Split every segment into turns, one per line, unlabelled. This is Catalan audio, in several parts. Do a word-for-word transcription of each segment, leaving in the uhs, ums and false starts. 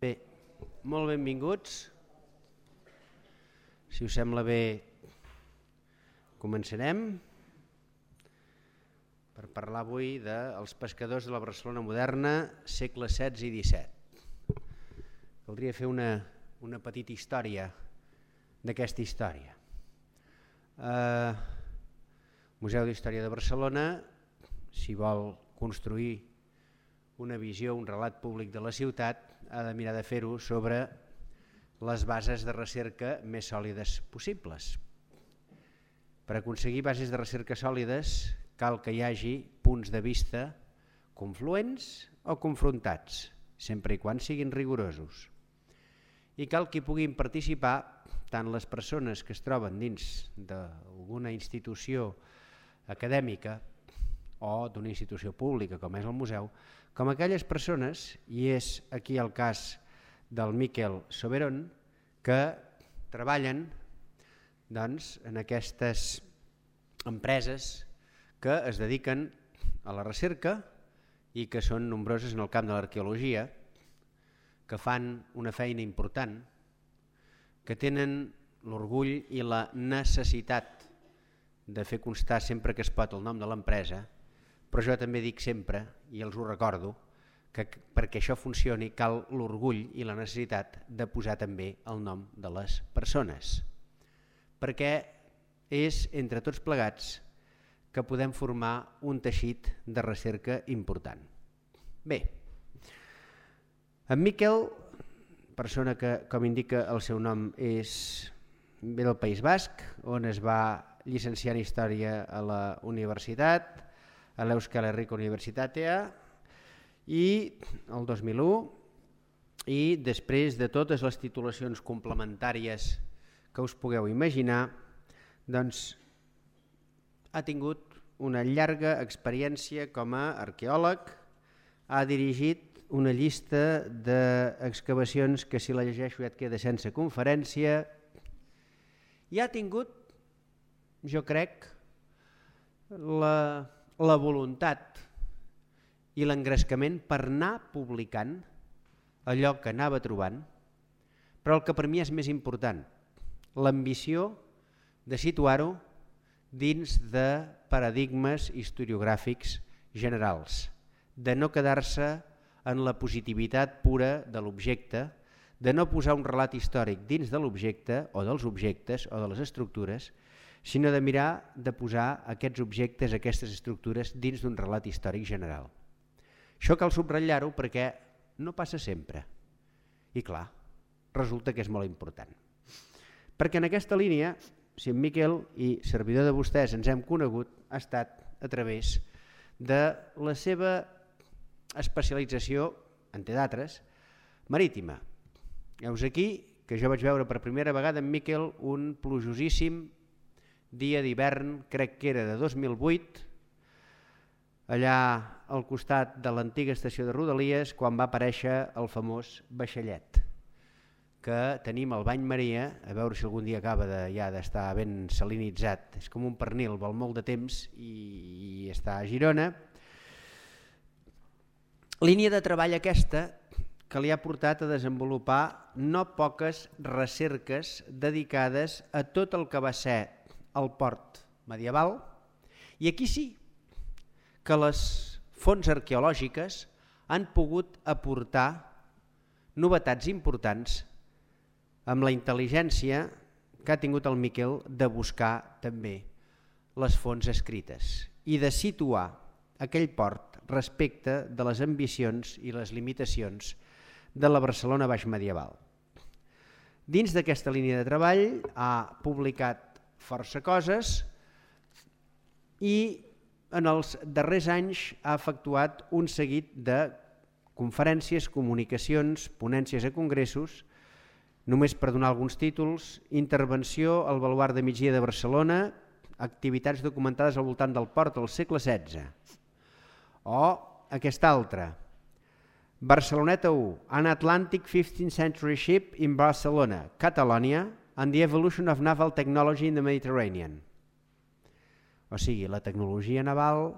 Bé, molt benvinguts. Si us sembla bé, començarem per parlar avui dels pescadors de la Barcelona moderna, segles setze i disset. Caldria fer una, una petita història d'aquesta història. Eh, Museu d'Història de Barcelona, si vol construir una visió, un relat públic de la ciutat, ha de mirar de fer-ho sobre les bases de recerca més sòlides possibles. Per aconseguir bases de recerca sòlides cal que hi hagi punts de vista confluents o confrontats, sempre i quan siguin rigorosos. I cal que hi puguin participar tant les persones que es troben dins d'alguna institució acadèmica o d'una institució pública com és el museu, com aquelles persones, i és aquí el cas del Miquel Soberon, que treballen doncs, en aquestes empreses que es dediquen a la recerca i que són nombroses en el camp de l'arqueologia, que fan una feina important, que tenen l'orgull i la necessitat de fer constar sempre que es pot el nom de l'empresa, però jo també dic sempre, i els ho recordo, que perquè això funcioni cal l'orgull i la necessitat de posar també el nom de les persones, perquè és entre tots plegats que podem formar un teixit de recerca important. Bé, en Miquel, persona que, com indica el seu nom, és ve del País Basc, on es va llicenciar en Història a la universitat, a l'Euskal Herriko Unibertsitatea, i el dos mil u, i després de totes les titulacions complementàries que us pugueu imaginar, doncs ha tingut una llarga experiència com a arqueòleg, ha dirigit una llista d'excavacions que si la llegeixo ja et queda sense conferència, i ha tingut, jo crec, la, la voluntat i l'engrescament per anar publicant allò que anava trobant, però el que per mi és més important, l'ambició de situar-ho dins de paradigmes historiogràfics generals, de no quedar-se en la positivitat pura de l'objecte, de no posar un relat històric dins de l'objecte o dels objectes o de les estructures, sinó de mirar de posar aquests objectes, aquestes estructures dins d'un relat històric general. Això cal subratllar-ho perquè no passa sempre. I clar, resulta que és molt important. Perquè en aquesta línia, si en Miquel i servidor de vostès ens hem conegut, ha estat a través de la seva especialització, entre d'altres, marítima. Heus aquí que jo vaig veure per primera vegada en Miquel un plujosíssim dia d'hivern, crec que era de dos mil vuit, allà al costat de l'antiga estació de Rodalies, quan va aparèixer el famós vaixellet, que tenim al Bany Maria, a veure si algun dia acaba de, ja d'estar ben salinitzat, és com un pernil, vol molt de temps i, i està a Girona. Línia de treball aquesta que li ha portat a desenvolupar no poques recerques dedicades a tot el que va ser el port medieval, i aquí sí que les fonts arqueològiques han pogut aportar novetats importants amb la intel·ligència que ha tingut el Miquel de buscar també les fonts escrites i de situar aquell port respecte de les ambicions i les limitacions de la Barcelona baix medieval. Dins d'aquesta línia de treball ha publicat força coses i en els darrers anys ha efectuat un seguit de conferències, comunicacions, ponències a congressos, només per donar alguns títols: intervenció al Baluard de Migdia de Barcelona, activitats documentades al voltant del port al segle setze, o aquesta altra, Barceloneta u, An Atlantic fifteenth Century Ship in Barcelona, Catalonia, and the Evolution of Naval Technology in the Mediterranean. O sigui, la tecnologia naval,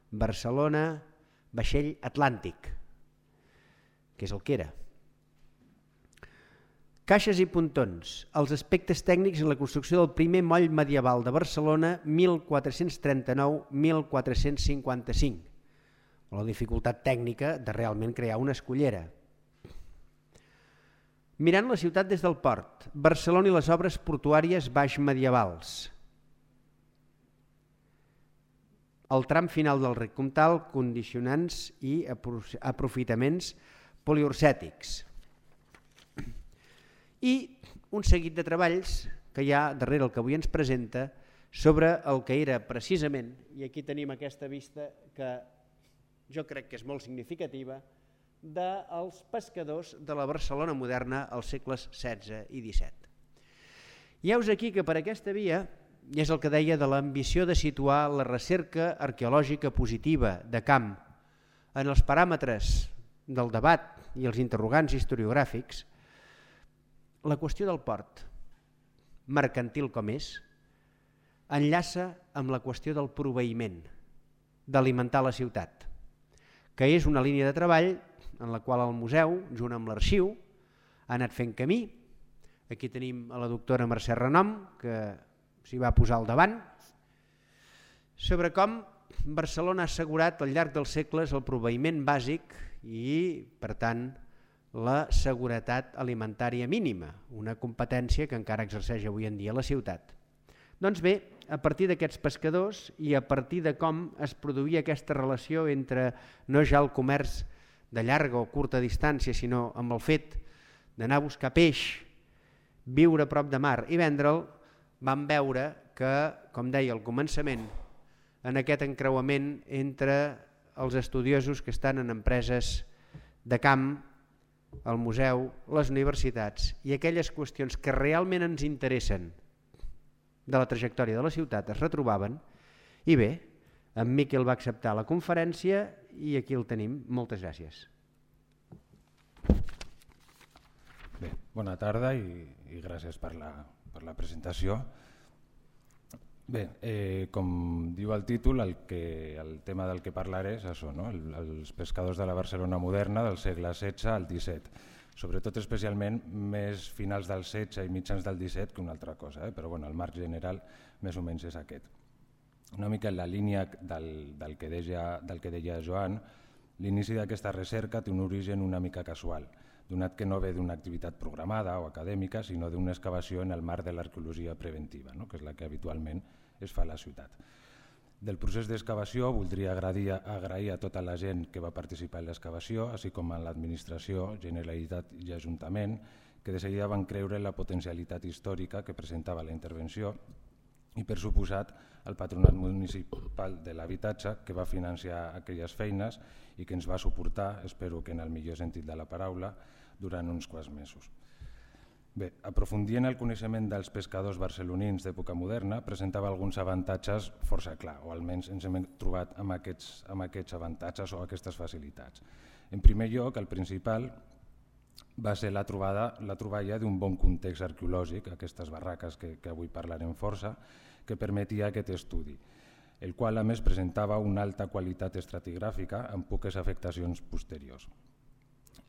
Barcelona, vaixell Atlàntic, que és el que era. Caixes i pontons, els aspectes tècnics en la construcció del primer moll medieval de Barcelona mil quatre-cents trenta-nou a mil quatre-cents cinquanta-cinc. La dificultat tècnica de realment crear una escullera. Mirant la ciutat des del port, Barcelona i les obres portuàries baix medievals. El tram final del rec comtal, condicionants i aprofitaments poliursètics. I un seguit de treballs que hi ha darrere el que avui ens presenta sobre el que era precisament, i aquí tenim aquesta vista que jo crec que és molt significativa, dels pescadors de la Barcelona moderna als segles setze i disset. I heus aquí que per aquesta via, i és el que deia de l'ambició de situar la recerca arqueològica positiva de camp en els paràmetres del debat i els interrogants historiogràfics, la qüestió del port, mercantil com és, enllaça amb la qüestió del proveïment, d'alimentar la ciutat, que és una línia de treball en la qual el museu, junt amb l'arxiu, ha anat fent camí. Aquí tenim a la doctora Mercè Renom, que s'hi va posar al davant, sobre com Barcelona ha assegurat al llarg dels segles el proveïment bàsic i, per tant, la seguretat alimentària mínima, una competència que encara exerceix avui en dia la ciutat. Doncs bé, a partir d'aquests pescadors i a partir de com es produïa aquesta relació entre no ja el comerç de llarga o curta distància, sinó amb el fet d'anar a buscar peix, viure a prop de mar i vendre'l, vam veure que, com deia al començament, en aquest encreuament entre els estudiosos que estan en empreses de camp, el museu, les universitats i aquelles qüestions que realment ens interessen de la trajectòria de la ciutat es retrobaven. I bé, en Miquel va acceptar la conferència i aquí el tenim. Moltes gràcies.
Bé, bona tarda i, i gràcies per la, per la presentació. Bé, eh, com diu el títol, el, que, el tema del que parlaré és això, no? el, els pescadors de la Barcelona moderna del segle setze al disset, sobretot especialment més finals del setze i mitjans del disset que una altra cosa, eh? Però bueno, el marc general més o menys és aquest. Una mica en la línia del, del, que deia, del que deia Joan, l'inici d'aquesta recerca té un origen una mica casual, donat que no ve d'una activitat programada o acadèmica, sinó d'una excavació en el marc de l'arqueologia preventiva, no? Que és la que habitualment es fa a la ciutat. Del procés d'excavació voldria agrair, agrair a tota la gent que va participar en l'excavació, així com a l'administració, Generalitat i Ajuntament, que de seguida van creure en la potencialitat històrica que presentava la intervenció i, per suposat, el Patronat Municipal de l'Habitatge, que va financiar aquelles feines i que ens va suportar, espero que en el millor sentit de la paraula, durant uns quants mesos. Bé, aprofundir en el coneixement dels pescadors barcelonins d'època moderna presentava alguns avantatges força clar, o almenys ens hem trobat amb aquests, amb aquests avantatges o aquestes facilitats. En primer lloc, el principal va ser la, trobada, la troballa d'un bon context arqueològic, aquestes barraques que, que avui parlarem força, que permetia aquest estudi, el qual a més presentava una alta qualitat estratigràfica amb poques afectacions posteriors.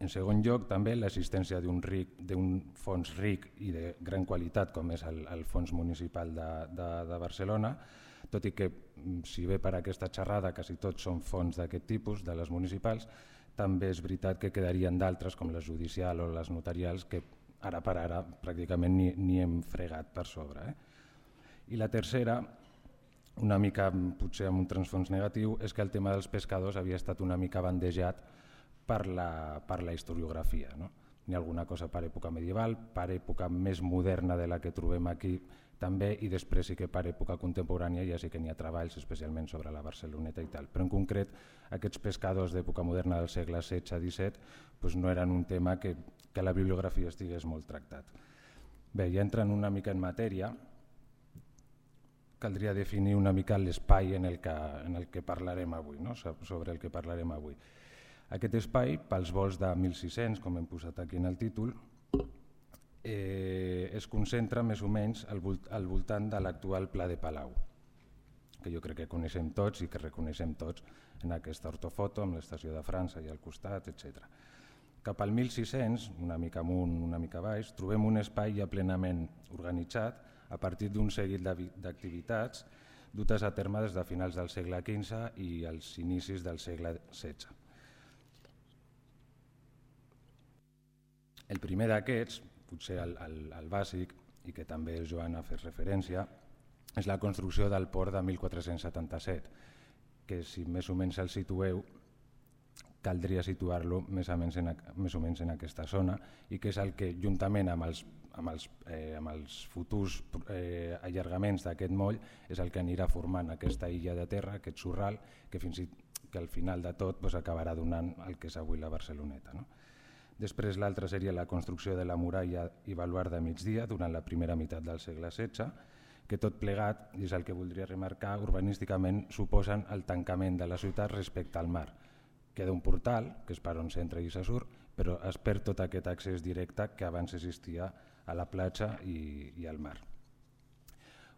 En segon lloc, també l'existència d'un fons ric i de gran qualitat com és el, el Fons Municipal de, de, de Barcelona, tot i que, si bé per aquesta xerrada quasi tots són fons d'aquest tipus, de les municipals, també és veritat que quedarien d'altres com les judicials o les notarials que ara per ara pràcticament ni, ni hem fregat per sobre. Eh? I la tercera, una mica potser amb un transfons negatiu, és que el tema dels pescadors havia estat una mica bandejat per la, per la historiografia. No? N'hi ha alguna cosa per època medieval, per època més moderna de la que trobem aquí també, i després sí que per època contemporània ja sí que n'hi ha treballs especialment sobre la Barceloneta i tal. Però en concret aquests pescadors d'època moderna del segle setze a disset doncs no eren un tema que, que la bibliografia estigués molt tractat. Bé, ja entrant una mica en matèria, caldria definir una mica l'espai en, el que, en el que parlarem avui, no? Sobre el que parlarem avui. Aquest espai, pels vols de mil sis-cents, com hem posat aquí en el títol, eh, es concentra més o menys al, volt al voltant de l'actual Pla de Palau, que jo crec que coneixem tots i que reconeixem tots en aquesta ortofoto amb l'estació de França i al costat, etcètera. Cap al mil sis-cents, una mica amunt, una mica baix, trobem un espai ja plenament organitzat a partir d'un seguit d'activitats dutes a terme des de finals del segle quinze i els inicis del segle setze. El primer d'aquests, potser el, el, el bàsic, i que també el Joan ha fet referència, és la construcció del port de mil quatre-cents setanta-set, que si més o menys el situeu, caldria situar-lo més o menys en, més o menys en aquesta zona, i que és el que, juntament amb els, amb els, eh, amb els futurs eh, allargaments d'aquest moll, és el que anirà formant aquesta illa de terra, aquest sorral, que, fins i, que al final de tot pues, acabarà donant el que és avui la Barceloneta. No? Després l'altra seria la construcció de la muralla i baluard de migdia durant la primera meitat del segle setze, que tot plegat, i és el que voldria remarcar, urbanísticament suposen el tancament de la ciutat respecte al mar. Queda un portal, que és per on s'entra i se surt, però es perd tot aquest accés directe que abans existia a la platja i, i al mar.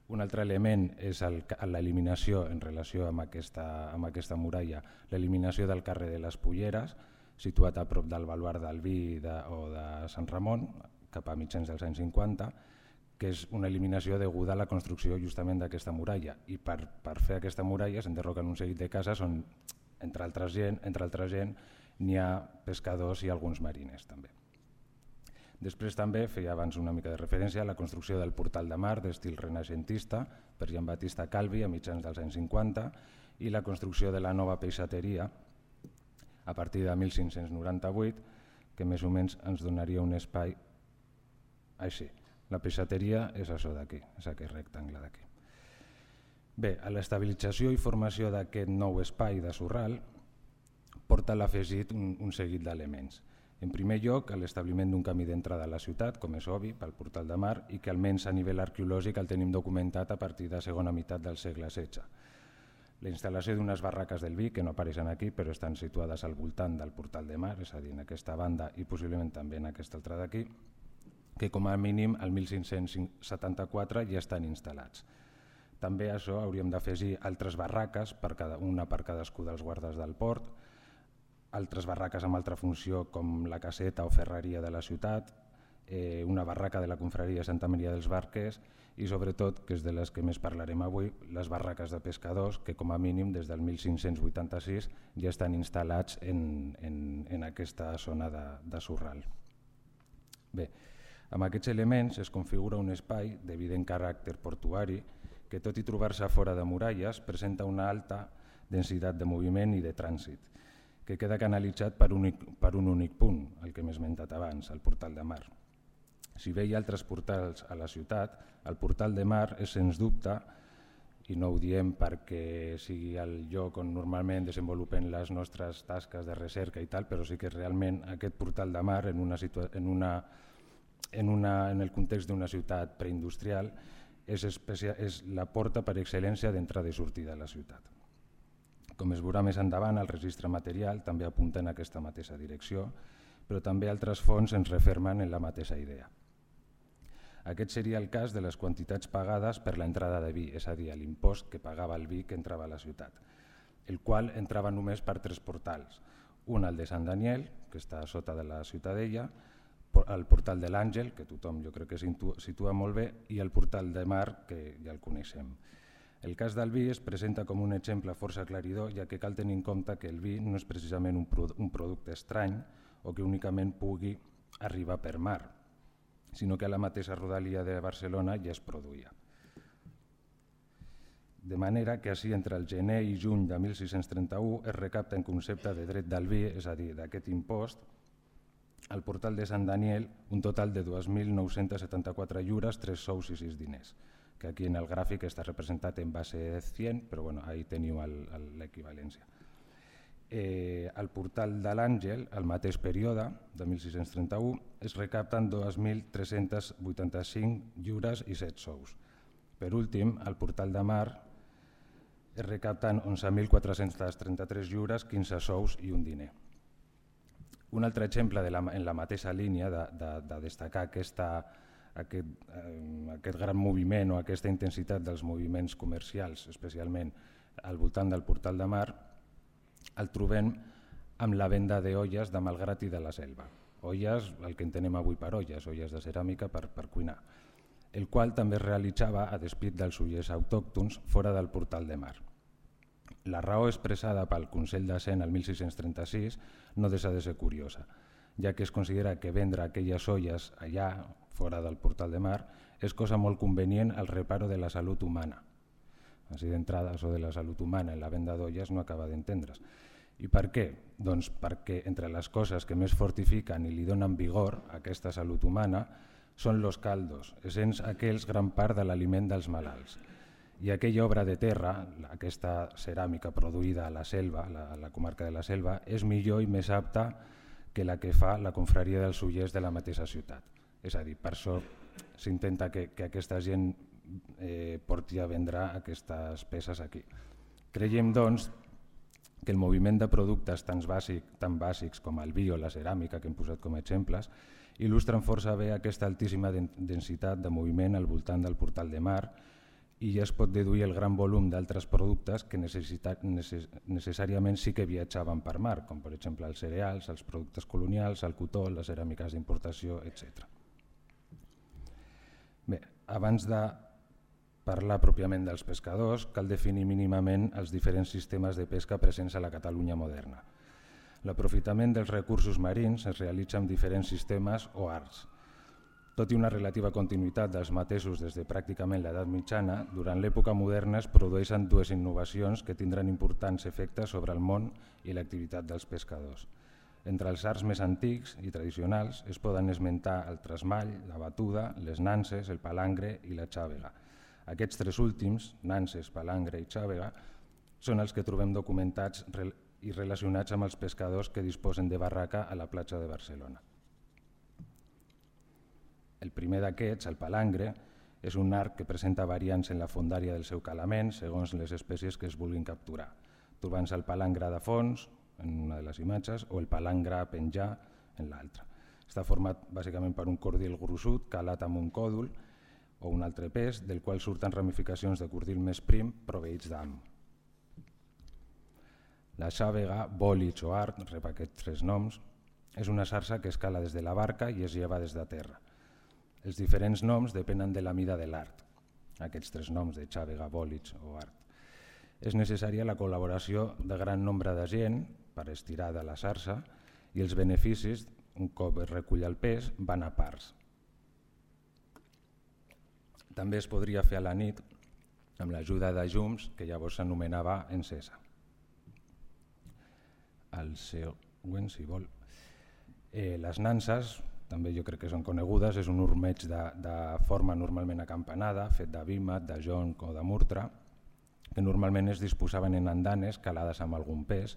Un altre element és l'eliminació en relació amb aquesta, amb aquesta muralla, l'eliminació del carrer de les Polleres, situat a prop del baluard del Vi de, o de Sant Ramon, cap a mitjans dels anys cinquanta, que és una eliminació deguda a la construcció justament d'aquesta muralla. I per, per fer aquesta muralla s'enderroquen un seguit de cases on, entre altra gent, entre altra gent n'hi ha pescadors i alguns marines també. Després també feia abans una mica de referència a la construcció del portal de mar d'estil renaixentista per Jean Baptista Calvi a mitjans dels anys cinquanta i la construcció de la nova peixateria a partir de mil cinc-cents noranta-vuit, que més o menys ens donaria un espai així. La peixateria és això d'aquí, és aquest rectangle d'aquí. Bé, a l'estabilització i formació d'aquest nou espai de sorral porta l'afegit un, un seguit d'elements. En primer lloc, l'establiment d'un camí d'entrada a la ciutat, com és obvi, pel portal de mar, i que almenys a nivell arqueològic el tenim documentat a partir de la segona meitat del segle setze. La instal·lació d'unes barraques del Vi, que no apareixen aquí, però estan situades al voltant del portal de mar, és a dir, en aquesta banda i possiblement també en aquesta altra d'aquí, que com a mínim al mil cinc-cents setanta-quatre ja estan instal·lats. També a això hauríem d'afegir altres barraques, per cada, una per cadascú dels guardes del port, altres barraques amb altra funció com la caseta o ferreria de la ciutat, eh, una barraca de la confraria Santa Maria dels Barquers i sobretot, que és de les que més parlarem avui, les barraques de pescadors que com a mínim des del mil cinc-cents vuitanta-sis ja estan instal·lats en, en, en aquesta zona de, de sorral. Bé, amb aquests elements es configura un espai d'evident caràcter portuari que, tot i trobar-se fora de muralles, presenta una alta densitat de moviment i de trànsit, que queda canalitzat per, únic, per un únic punt, el que m'he esmentat abans, el portal de mar. Si bé hi ha altres portals a la ciutat, el portal de mar és sens dubte, i no ho diem perquè sigui el lloc on normalment desenvolupem les nostres tasques de recerca i tal, però sí que realment aquest portal de mar en, una situa en, una, en, una, en el context d'una ciutat preindustrial és, és la porta per excel·lència d'entrada i sortida a la ciutat. Com es veurà més endavant, el registre material també apunta en aquesta mateixa direcció, però també altres fonts ens refermen en la mateixa idea. Aquest seria el cas de les quantitats pagades per l'entrada de vi, és a dir, l'impost que pagava el vi que entrava a la ciutat, el qual entrava només per tres portals. Un, el de Sant Daniel, que està a sota de la Ciutadella, el portal de l'Àngel, que tothom jo crec que situa molt bé, i el portal de mar, que ja el coneixem. El cas del vi es presenta com un exemple força aclaridor, ja que cal tenir en compte que el vi no és precisament un, produ un producte estrany o que únicament pugui arribar per mar, sinó que a la mateixa rodalia de Barcelona ja es produïa. De manera que així entre el gener i juny de mil sis-cents trenta-u es recapta en concepte de dret del vi, és a dir, d'aquest impost, al portal de Sant Daniel un total de dos mil nou-cents setanta-quatre lliures, tres sous i sis diners, que aquí en el gràfic està representat en base cent, però bueno, ahí teniu l'equivalència. Eh, al portal de l'Àngel, al mateix període, de mil sis-cents trenta-u, es recapten dos mil tres-cents vuitanta-cinc lliures i set sous. Per últim, al portal de mar es recapten onze mil quatre-cents trenta-tres lliures, quinze sous i un diner. Un altre exemple de la, en la mateixa línia de, de, de destacar aquesta, aquest, eh, aquest gran moviment o aquesta intensitat dels moviments comercials, especialment al voltant del portal de mar, el trobem amb la venda d'olles de Malgrat i de la Selva. Olles, el que entenem avui per olles, olles de ceràmica per, per cuinar, el qual també es realitzava a despit dels ullers autòctons fora del Portal de Mar. La raó expressada pel Consell de Cent el mil sis-cents trenta-sis no deixa de ser curiosa, ja que es considera que vendre aquelles olles allà, fora del Portal de Mar, és cosa molt convenient al reparo de la salut humana. Així d'entrada, això de la salut humana en la venda d'olles no acaba d'entendre's. I per què? Doncs perquè entre les coses que més fortifiquen i li donen vigor a aquesta salut humana són los caldos, essents aquells gran part de l'aliment dels malalts. I aquella obra de terra, aquesta ceràmica produïda a la Selva, a la comarca de la Selva, és millor i més apta que la que fa la confraria dels ullers de la mateixa ciutat. És a dir, per això s'intenta que, que aquesta gent eh, porti a vendre aquestes peces aquí. Creiem, doncs, que el moviment de productes tan, bàsic, tan bàsics com el vi o la ceràmica, que hem posat com a exemples, il·lustren força bé aquesta altíssima densitat de moviment al voltant del Portal de Mar i ja es pot deduir el gran volum d'altres productes que necess necessàriament sí que viatjaven per mar, com per exemple els cereals, els productes colonials, el cotó, les ceràmiques d'importació, etcètera. Bé, abans de parlar pròpiament dels pescadors, cal definir mínimament els diferents sistemes de pesca presents a la Catalunya moderna. L'aprofitament dels recursos marins es realitza amb diferents sistemes o arts. Tot i una relativa continuïtat dels mateixos des de pràcticament l'edat mitjana, durant l'època moderna es produeixen dues innovacions que tindran importants efectes sobre el món i l'activitat dels pescadors. Entre els arts més antics i tradicionals es poden esmentar el tresmall, la batuda, les nanses, el palangre i la xàvega. Aquests tres últims, nanses, palangre i xàvega, són els que trobem documentats i relacionats amb els pescadors que disposen de barraca a la platja de Barcelona. El primer d'aquests, el palangre, és un arc que presenta variants en la fondària del seu calament segons les espècies que es vulguin capturar, trobant-se el palangre de fons, en una de les imatges, o el palangre a penjar en l'altra. Està format bàsicament per un cordil gruixut calat amb un còdol o un altre pes, del qual surten ramificacions de cordil més prim proveïts d'ham. La xàvega, bòlits o art, rep aquests tres noms, és una sarsa que escala des de la barca i es lleva des de terra. Els diferents noms depenen de la mida de l'art, aquests tres noms de xàvega, bòlits o art. És necessària la col·laboració de gran nombre de gent per estirar de la sarsa i els beneficis, un cop es recull el pes, van a parts. També es podria fer a la nit amb l'ajuda de llums que llavors s'anomenava encesa. El següent, si vol. Eh, les nanses, també jo crec que són conegudes, és un ormeig de, de forma normalment acampanada, fet de vímet, de jonc o de murtra, que normalment es disposaven en andanes calades amb algun pes.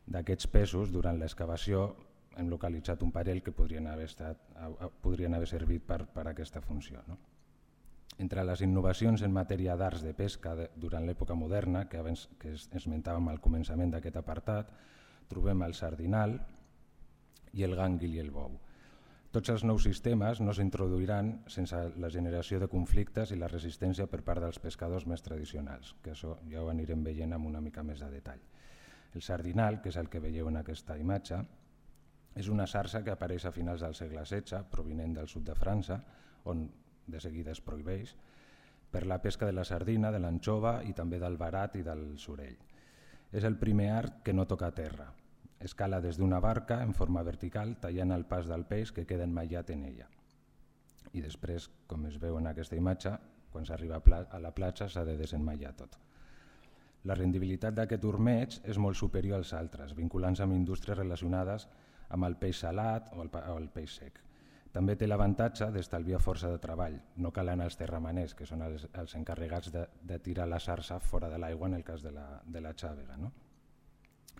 D'aquests pesos, durant l'excavació, hem localitzat un parell que podrien haver, estat, podrien haver servit per, per aquesta funció. No? Entre les innovacions en matèria d'arts de pesca de, durant l'època moderna, que abans que esmentàvem al començament d'aquest apartat, trobem el sardinal i el gànguil i el bou. Tots els nous sistemes no s'introduiran sense la generació de conflictes i la resistència per part dels pescadors més tradicionals, que això ja ho anirem veient amb una mica més de detall. El sardinal, que és el que veieu en aquesta imatge, és una sarsa que apareix a finals del segle setze, provinent del sud de França, on de seguida es prohibeix, per la pesca de la sardina, de l'anxova i també del verat i del sorell. És el primer art que no toca terra. Escala des d'una barca en forma vertical, tallant el pas del peix que queda emmaillat en ella. I després, com es veu en aquesta imatge, quan s'arriba a la platja s'ha de desemmaillar tot. La rendibilitat d'aquest ormeig és molt superior als altres, vinculant-se amb indústries relacionades amb el peix salat o el, o el peix sec. També té l'avantatge d'estalviar força de treball, no cal anar als terramaners, que són els, els encarregats de, de tirar la sarsa fora de l'aigua en el cas de la, de la xàvega. No?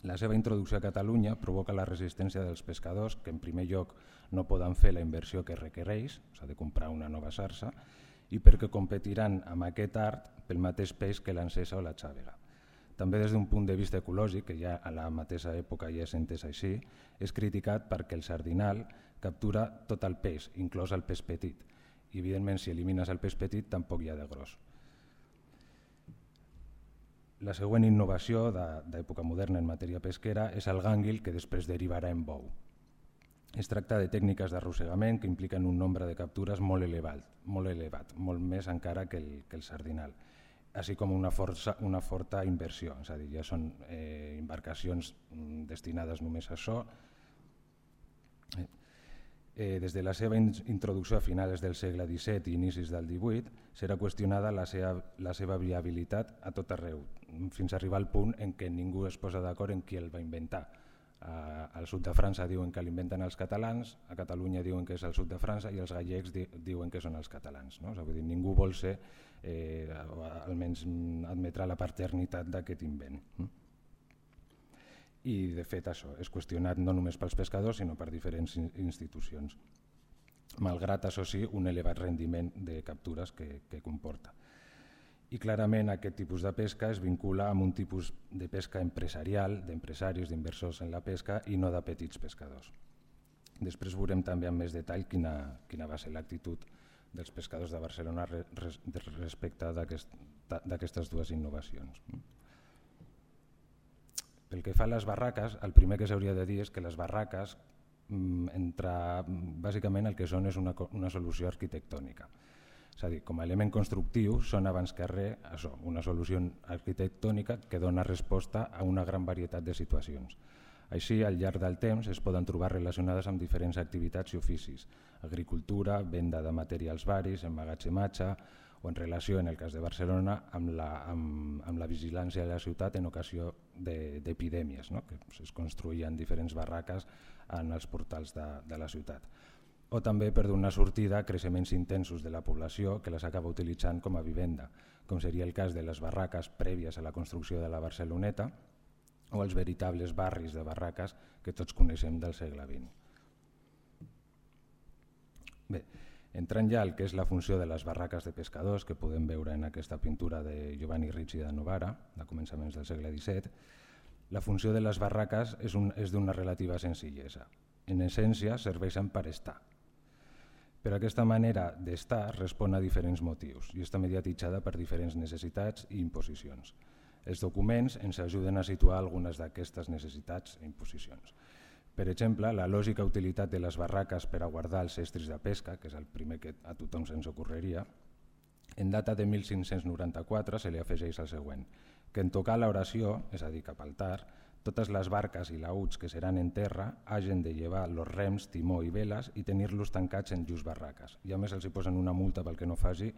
La seva introducció a Catalunya provoca la resistència dels pescadors, que en primer lloc no poden fer la inversió que requereix, s'ha de comprar una nova sarsa, i perquè competiran amb aquest art pel mateix peix que l'encesa o la xàvega. També des d'un punt de vista ecològic, que ja a la mateixa època ja és entès així, és criticat perquè el sardinal captura tot el peix, inclòs el peix petit. I evidentment si elimines el peix petit tampoc hi ha de gros. La següent innovació d'època moderna en matèria pesquera és el gànguil, que després derivarà en bou. Es tracta de tècniques d'arrossegament que impliquen un nombre de captures molt elevat, molt, elevat, molt més encara que el, que el sardinal, així com una, força, una forta inversió, és a dir, ja són eh, embarcacions destinades només a això. Eh, des de la seva introducció a finals del segle disset i inicis del divuit, serà qüestionada la seva, la seva viabilitat a tot arreu, fins a arribar al punt en què ningú es posa d'acord en qui el va inventar. Uh, al sud de França diuen que l'inventen els catalans, a Catalunya diuen que és el sud de França i els gallecs di diuen que són els catalans. No? O sigui, vull dir, ningú vol ser, eh, almenys admetrà la paternitat d'aquest invent. Mm? I de fet això és qüestionat no només pels pescadors sinó per diferents institucions, malgrat això sí un elevat rendiment de captures que, que comporta. I clarament aquest tipus de pesca es vincula amb un tipus de pesca empresarial, d'empresaris, d'inversors en la pesca i no de petits pescadors. Després veurem també amb més detall quina, quina va ser l'actitud dels pescadors de Barcelona res, respecte d'aquestes dues innovacions. Pel que fa a les barraques, el primer que s'hauria de dir és que les barraques, entre, bàsicament el que són és una, una solució arquitectònica. És a dir, com a element constructiu són abans que res això, una solució arquitectònica que dona resposta a una gran varietat de situacions. Així, al llarg del temps es poden trobar relacionades amb diferents activitats i oficis, agricultura, venda de materials varis, emmagatzematge o en relació, en el cas de Barcelona, amb la, amb, amb la vigilància de la ciutat en ocasió d'epidèmies, no? Que es construïen diferents barraques en els portals de, de la ciutat. O també per donar sortida a creixements intensos de la població que les acaba utilitzant com a vivenda, com seria el cas de les barraques prèvies a la construcció de la Barceloneta o els veritables barris de barraques que tots coneixem del segle vint. Bé, entrant ja al que és la funció de les barraques de pescadors, que podem veure en aquesta pintura de Giovanni Ricci da Novara, de començaments del segle disset, la funció de les barraques és, un, és d'una relativa senzillesa. En essència, serveixen per estar. Però aquesta manera d'estar respon a diferents motius i està mediatitzada per diferents necessitats i imposicions. Els documents ens ajuden a situar algunes d'aquestes necessitats i imposicions. Per exemple, la lògica utilitat de les barraques per a guardar els estris de pesca, que és el primer que a tothom se'ns ocorreria, en data de mil cinc-cents noranta-quatre se li afegeix el següent, que en tocar l'oració, és a dir, cap al tard, totes les barques i laüts que seran en terra hagin de llevar els rems, timó i veles i tenir-los tancats en llurs barraques. I a més els hi posen una multa pel que no faci,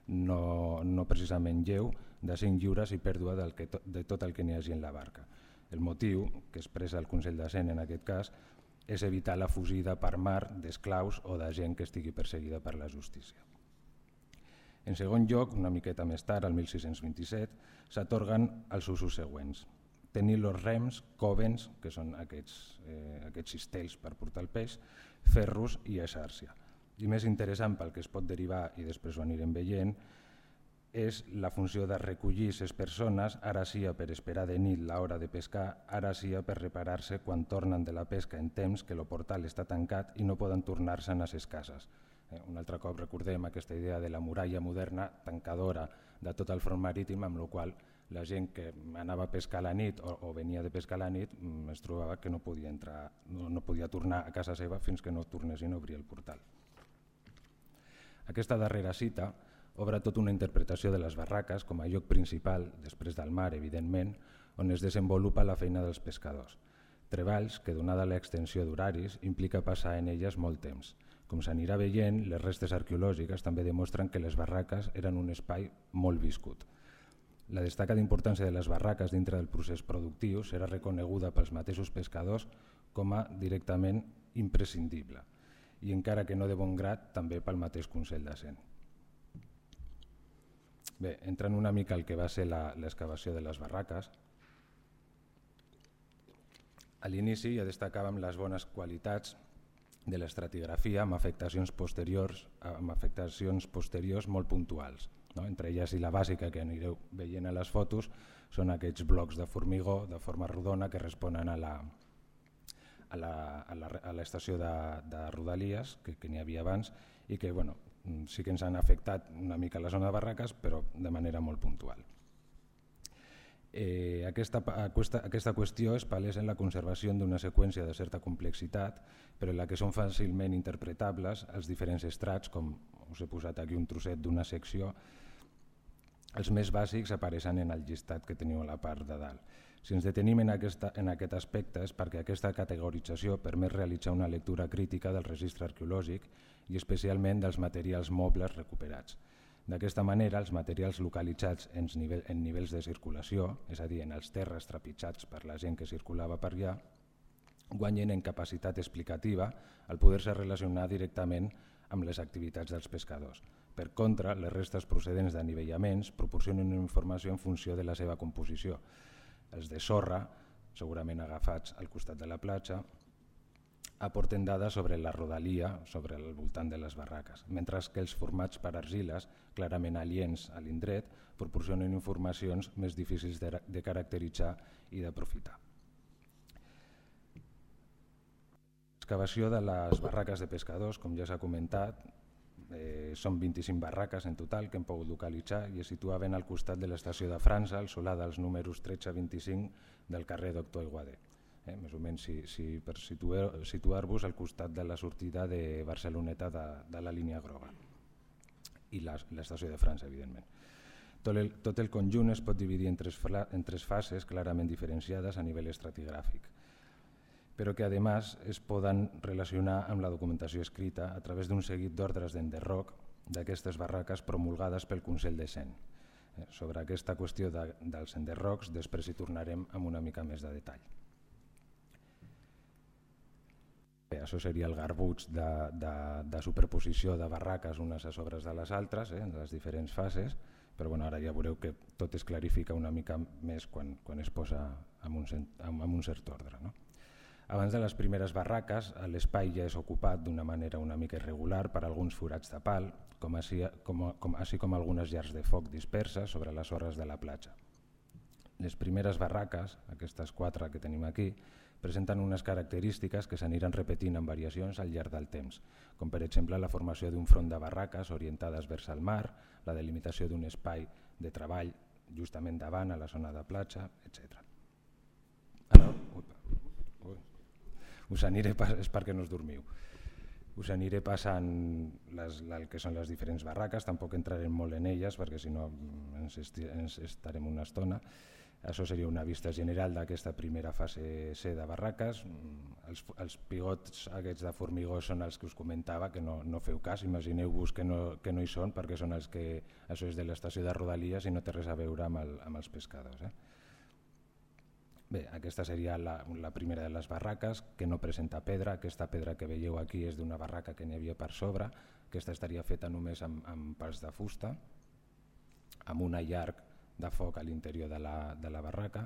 no, no precisament lleu, de cinc lliures i pèrdua del que to, de tot el que n'hi hagi en la barca. El motiu, que expressa el Consell de Cent en aquest cas, és evitar la fugida per mar d'esclaus o de gent que estigui perseguida per la justícia. En segon lloc, una miqueta més tard, el mil sis-cents vint-i-set, s'atorguen els usos següents. Tenir els rems, còvens, que són aquests, eh, aquests cistells per portar el peix, ferros i exàrcia. I més interessant pel que es pot derivar, i després ho anirem veient, és la funció de recollir les persones, ara sia per esperar de nit l'hora de pescar, ara sia per reparar-se quan tornen de la pesca en temps que el portal està tancat i no poden tornar-se'n a les cases. Eh, un altre cop recordem aquesta idea de la muralla moderna tancadora de tot el front marítim, amb la qual la gent que anava a pescar a la nit o, o venia de pescar a la nit es trobava que no podia, entrar, no, no podia tornar a casa seva fins que no tornessin a obrir el portal. Aquesta darrera cita obre tota una interpretació de les barraques com a lloc principal, després del mar, evidentment, on es desenvolupa la feina dels pescadors. Treballs que, donada l'extensió d'horaris, implica passar en elles molt temps. Com s'anirà veient, les restes arqueològiques també demostren que les barraques eren un espai molt viscut. La destaca d'importància de les barraques dintre del procés productiu serà reconeguda pels mateixos pescadors com a directament imprescindible i encara que no de bon grat també pel mateix Consell de Cent. Bé, entrant una mica al que va ser l'excavació de les barraques, a l'inici ja destacàvem les bones qualitats de l'estratigrafia amb afectacions posteriors, amb afectacions posteriors molt puntuals. No? Entre elles i la bàsica que anireu veient a les fotos són aquests blocs de formigó de forma rodona que responen a la, a la, a la, a l'estació de, de Rodalies que, que n'hi havia abans i que bueno, sí que ens han afectat una mica la zona de barraques però de manera molt puntual. Eh, aquesta, aquesta, aquesta qüestió es palesa en la conservació d'una seqüència de certa complexitat, però en la que són fàcilment interpretables els diferents estrats, com us he posat aquí un trosset d'una secció. Els més bàsics apareixen en el llistat que teniu a la part de dalt. Si ens detenim en, aquesta, en aquest aspecte és perquè aquesta categorització permet realitzar una lectura crítica del registre arqueològic i especialment dels materials mobles recuperats. D'aquesta manera, els materials localitzats en, nivell, en nivells de circulació, és a dir, en els terres trepitjats per la gent que circulava per allà, guanyen en capacitat explicativa al poder-se relacionar directament amb les activitats dels pescadors. Per contra, les restes procedents d'anivellaments proporcionen una informació en funció de la seva composició. Els de sorra, segurament agafats al costat de la platja, aporten dades sobre la rodalia, sobre el voltant de les barraques, mentre que els formats per argiles, clarament aliens a l'indret, proporcionen informacions més difícils de, de caracteritzar i d'aprofitar. L'excavació de les barraques de pescadors, com ja s'ha comentat, eh, són vint-i-cinc barraques en total que hem pogut localitzar i es situaven al costat de l'estació de França, al solar dels números tretze a vint-i-cinc del carrer Doctor Aiguader. Eh, més o menys si, si per situar-vos al costat de la sortida de Barceloneta de, de la línia groga i l'estació de França, evidentment. Tot el, tot el conjunt es pot dividir en tres, en tres fases clarament diferenciades a nivell estratigràfic, però que a més es poden relacionar amb la documentació escrita a través d'un seguit d'ordres d'enderroc d'aquestes barraques promulgades pel Consell de Cent. Eh, sobre aquesta qüestió de, dels enderrocs després hi tornarem amb una mica més de detall. Bé, això seria el garbuig de, de, de superposició de barraques unes a sobres de les altres, eh, en les diferents fases, però bueno, ara ja veureu que tot es clarifica una mica més quan, quan es posa en un, en, en un cert ordre. No? Abans de les primeres barraques, l'espai ja és ocupat d'una manera una mica irregular per alguns forats de pal, com així com, com, així com algunes llars de foc disperses sobre les sorres de la platja. Les primeres barraques, aquestes quatre que tenim aquí, presenten unes característiques que s'aniran repetint en variacions al llarg del temps, com per exemple la formació d'un front de barraques orientades vers el mar, la delimitació d'un espai de treball justament davant a la zona de platja, etcètera. Ara, ui, ui, us aniré, és perquè no us dormiu. Us aniré passant les, el que són les diferents barraques, tampoc entrarem molt en elles perquè si no ens, ens estarem una estona. Això seria una vista general d'aquesta primera fase C de barraques. Els, els pigots aquests de formigó són els que us comentava, que no, no feu cas, imagineu-vos que, no, que no hi són perquè són els que, això és de l'estació de Rodalies i no té res a veure amb, el, amb els pescadors. Eh? Bé, aquesta seria la, la primera de les barraques, que no presenta pedra. Aquesta pedra que veieu aquí és d'una barraca que n'hi havia per sobre. Aquesta estaria feta només amb, amb pals de fusta, amb una llarg de foc a l'interior de, la, de la barraca.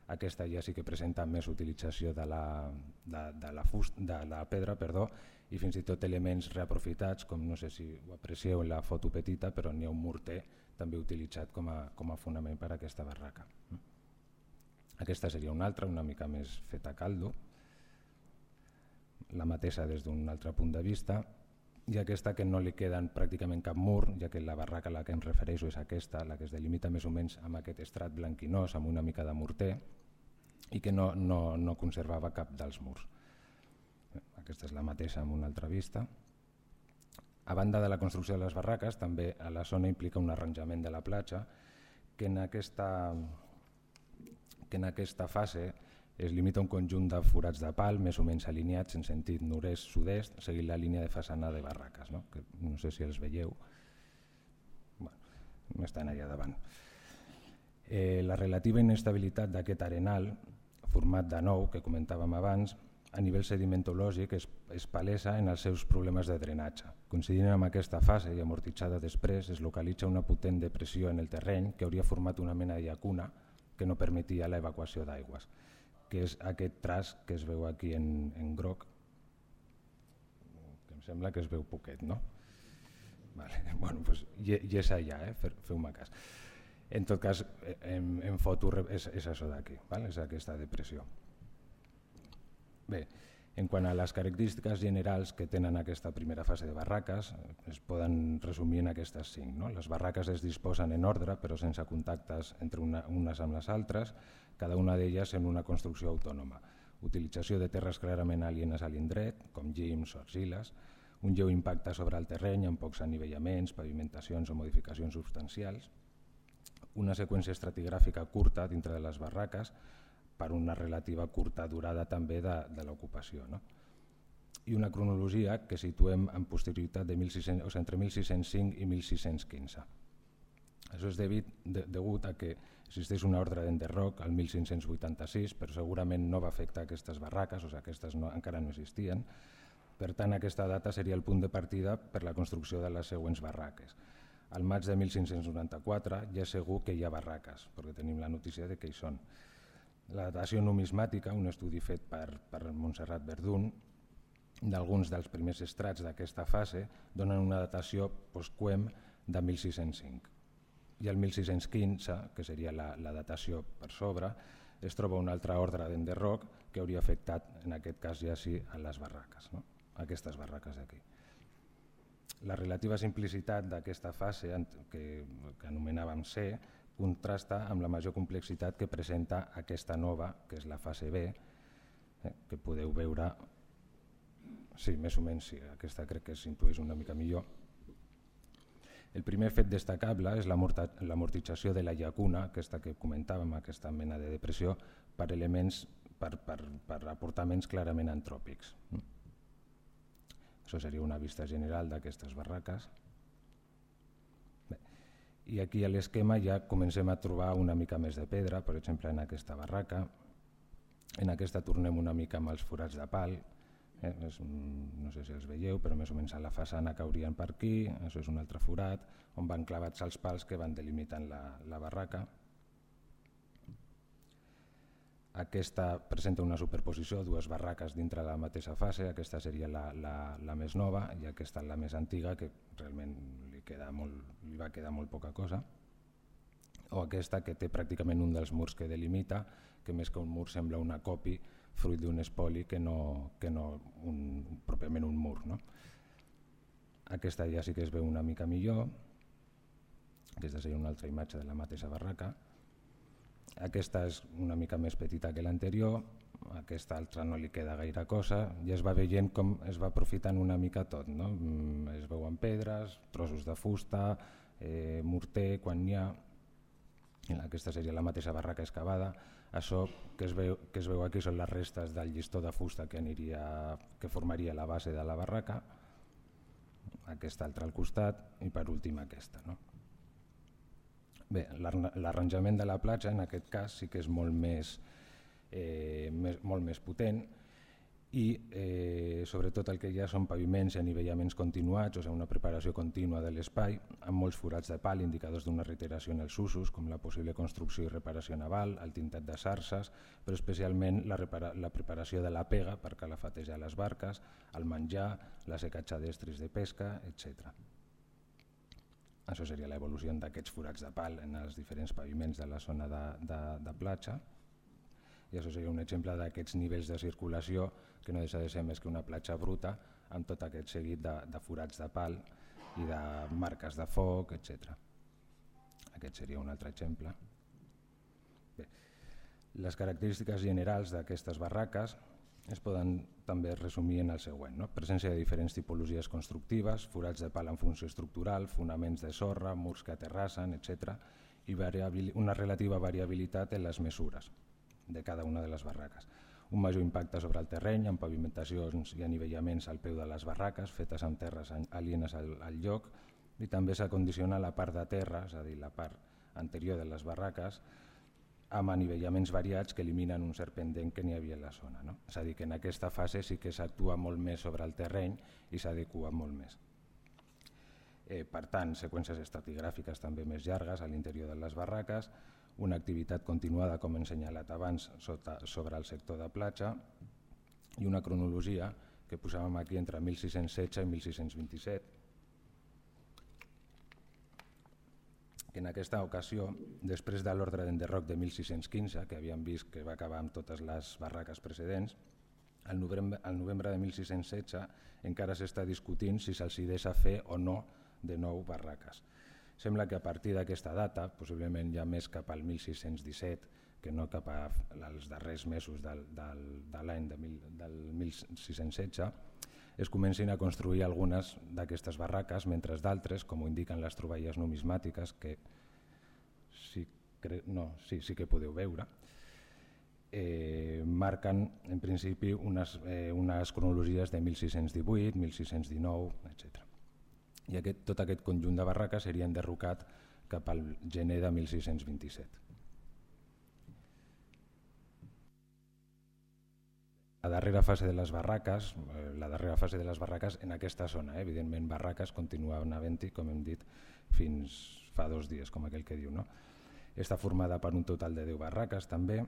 Aquesta ja sí que presenta més utilització de la, de, de la, fust, de la pedra perdó, i fins i tot elements reaprofitats, com no sé si ho aprecieu en la foto petita, però n'hi ha un morter també utilitzat com a, com a fonament per a aquesta barraca. Aquesta seria una altra, una mica més feta a caldo, la mateixa des d'un altre punt de vista, i aquesta que no li queden pràcticament cap mur, ja que la barraca a la que em refereixo és aquesta, la que es delimita més o menys amb aquest estrat blanquinós, amb una mica de morter, i que no, no, no conservava cap dels murs. Aquesta és la mateixa amb una altra vista. A banda de la construcció de les barraques, també a la zona implica un arranjament de la platja que en aquesta, que en aquesta fase es limita a un conjunt de forats de pal més o menys alineats en sentit nord-est-sud-est, seguint la línia de façana de barraques, no? Que no sé si els veieu, bueno, estan allà davant. Eh, la relativa inestabilitat d'aquest arenal, format de nou, que comentàvem abans, a nivell sedimentològic es, es palesa en els seus problemes de drenatge. Coincidint amb aquesta fase i amortitzada després, es localitza una potent depressió en el terreny que hauria format una mena de llacuna que no permetia l'evacuació d'aigües, que és aquest traç que es veu aquí en, en groc, que em sembla que es veu poquet, no? Vale. Bueno, pues, i, i és allà, eh? Feu-me cas. En tot cas, en, en foto és, és això d'aquí, vale? És aquesta depressió. Bé, En quant a les característiques generals que tenen aquesta primera fase de barraques, es poden resumir en aquestes cinc. No? Les barraques es disposen en ordre, però sense contactes entre una, unes amb les altres, cada una d'elles en una construcció autònoma. Utilització de terres clarament alienes a l'indret, com llims o argiles, un lleu impacte sobre el terreny amb pocs anivellaments, pavimentacions o modificacions substancials, una seqüència estratigràfica curta dintre de les barraques, per una relativa curta durada també de, de l'ocupació. No? I una cronologia que situem en posterioritat de mil sis-cents, o sigui, entre mil sis-cents cinc i mil sis-cents quinze. Això és degut, de, degut a que existeix una ordre d'enderroc al mil cinc-cents vuitanta-sis, però segurament no va afectar aquestes barraques, o sigui, aquestes no, encara no existien. Per tant, aquesta data seria el punt de partida per la construcció de les següents barraques. Al maig de mil cinc-cents noranta-quatre ja és segur que hi ha barraques, perquè tenim la notícia de que hi són. La datació numismàtica, un estudi fet per, per Montserrat Verdún, d'alguns dels primers estrats d'aquesta fase, donen una datació postquem de mil sis-cents cinc. I el mil sis-cents quinze, que seria la, la datació per sobre, es troba una altra ordre d'enderroc que hauria afectat, en aquest cas ja sí, a les barraques, no? Aquestes barraques d'aquí. La relativa simplicitat d'aquesta fase, que, que anomenàvem C, contrasta amb la major complexitat que presenta aquesta nova, que és la fase B, eh, que podeu veure, sí, més o menys, sí, aquesta crec que s'intueix una mica millor. El primer fet destacable és l'amortització de la llacuna, aquesta que comentàvem, aquesta mena de depressió, per elements, per, per, per aportaments clarament antròpics. Això seria una vista general d'aquestes barraques. I aquí a l'esquema ja comencem a trobar una mica més de pedra, per exemple en aquesta barraca. En aquesta tornem una mica amb els forats de pal, eh? és, no sé si els veieu, però més o menys a la façana caurien per aquí, això és un altre forat, on van clavats els pals que van delimitant la, la barraca. Aquesta presenta una superposició, dues barraques dintre de la mateixa fase, aquesta seria la, la, la més nova i aquesta la més antiga, que realment li, queda molt, li va quedar molt poca cosa, o aquesta que té pràcticament un dels murs que delimita, que més que un mur sembla una copi fruit d'un espoli que no, que no un, pròpiament un mur. No? Aquesta ja sí que es veu una mica millor, aquesta seria una altra imatge de la mateixa barraca. Aquesta és una mica més petita que l'anterior, aquesta altra no li queda gaire cosa, i es va veient com es va aprofitant una mica tot. No? Es veuen pedres, trossos de fusta, eh, morter, quan n'hi ha. Aquesta seria la mateixa barraca excavada. Això que es, veu, que es veu aquí són les restes del llistó de fusta que, aniria, que formaria la base de la barraca, aquesta altra al costat i per últim aquesta. No? Bé, l'arranjament de la platja en aquest cas sí que és molt més, eh, més, molt més potent i eh, sobretot el que hi ha són paviments i anivellaments continuats, o sigui, una preparació contínua de l'espai, amb molts forats de pal, indicadors d'una reiteració en els usos, com la possible construcció i reparació naval, el tintat de sarses, però especialment la, repara la preparació de la pega per calafatejar les barques, el menjar, la secatge d'estris de pesca, etcètera. Això seria l'evolució d'aquests forats de pal en els diferents paviments de la zona de, de, de platja. I això seria un exemple d'aquests nivells de circulació que no deixa de ser més que una platja bruta amb tot aquest seguit de, de forats de pal i de marques de foc, etcètera. Aquest seria un altre exemple. Bé, les característiques generals d'aquestes barraques es poden també resumir en el següent. No? Presència de diferents tipologies constructives, forats de pal en funció estructural, fonaments de sorra, murs que aterrassen, etcètera, i una relativa variabilitat en les mesures de cada una de les barraques. Un major impacte sobre el terreny, amb pavimentacions i anivellaments al peu de les barraques, fetes amb terres alienes al, al lloc, i també s'acondiciona la part de terra, és a dir, la part anterior de les barraques, amb anivellaments variats que eliminen un cert pendent que n'hi havia a la zona. No? És a dir, que en aquesta fase sí que s'actua molt més sobre el terreny i s'adequa molt més. Eh, per tant, seqüències estratigràfiques també més llargues a l'interior de les barraques, una activitat continuada, com he assenyalat abans, sota, sobre el sector de platja i una cronologia que posàvem aquí entre mil sis-cents setze i mil sis-cents vint-i-set, que en aquesta ocasió, després de l'ordre d'enderroc de mil sis-cents quinze, que havíem vist que va acabar amb totes les barraques precedents, Al novembre, al novembre de mil sis-cents setze encara s'està discutint si se'ls deixa fer o no de nou barraques. Sembla que a partir d'aquesta data, possiblement ja més cap al mil sis-cents disset, que no cap als darrers mesos del, del, de l'any de mil, del mil sis-cents setze, es comencin a construir algunes d'aquestes barraques, mentre d'altres, com ho indiquen les troballes numismàtiques, que sí, cre... no, sí, sí que podeu veure, eh, marquen en principi unes, eh, unes cronologies de mil sis-cents divuit, mil sis-cents dinou, etcètera. I aquest, tot aquest conjunt de barraques seria enderrocat cap al gener de mil sis-cents vint-i-set. La darrera fase de les barraques, eh, la darrera fase de les barraques en aquesta zona, eh, evidentment barraques continuaven havent-hi, com hem dit, fins fa dos dies, com aquell que diu, no? Està formada per un total de deu barraques també,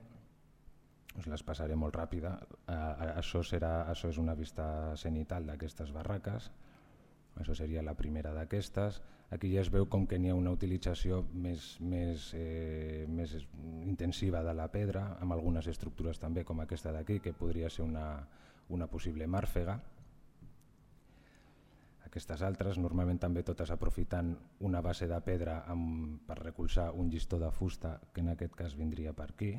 us les passaré molt ràpida. Eh, això, serà, això és una vista cenital d'aquestes barraques. Això seria la primera d'aquestes. Aquí ja es veu com que n'hi ha una utilització més, més, eh, més intensiva de la pedra, amb algunes estructures també com aquesta d'aquí, que podria ser una, una possible màrfega. Aquestes altres, normalment també totes aprofitant una base de pedra amb, per recolzar un llistó de fusta, que en aquest cas vindria per aquí,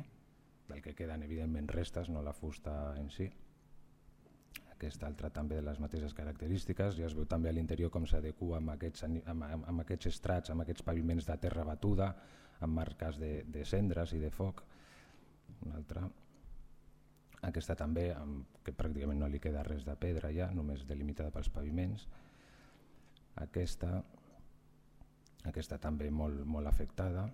del que queden evidentment restes, no la fusta en si. Aquesta altra també de les mateixes característiques, ja es veu també a l'interior com s'adequa amb, aquests, amb, amb aquests estrats, amb aquests paviments de terra batuda, amb marques de, de cendres i de foc. Una altra. Aquesta també, amb, que pràcticament no li queda res de pedra ja, només delimitada pels paviments. Aquesta, aquesta també molt, molt afectada.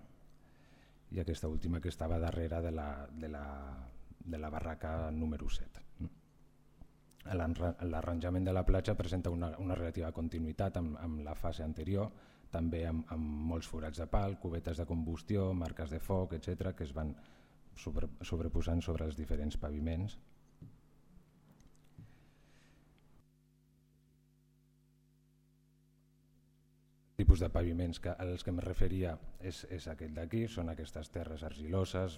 I aquesta última que estava darrere de la, de la, de la barraca número set. L'arranjament de la platja presenta una, una relativa continuïtat amb, amb la fase anterior, també amb, amb molts forats de pal, cubetes de combustió, marques de foc, etcètera, que es van sobre, sobreposant sobre els diferents paviments. El tipus de paviments que, als que em referia és, és aquest d'aquí, són aquestes terres argiloses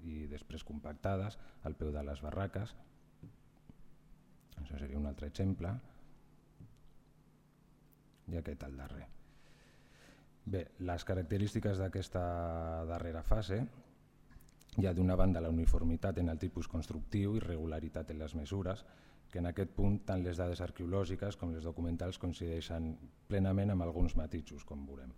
i després compactades al peu de les barraques. Això seria un altre exemple. I aquest al darrer. Bé, les característiques d'aquesta darrera fase, hi ha d'una banda la uniformitat en el tipus constructiu i regularitat en les mesures, que en aquest punt tant les dades arqueològiques com les documentals coincideixen plenament amb alguns matisos, com veurem.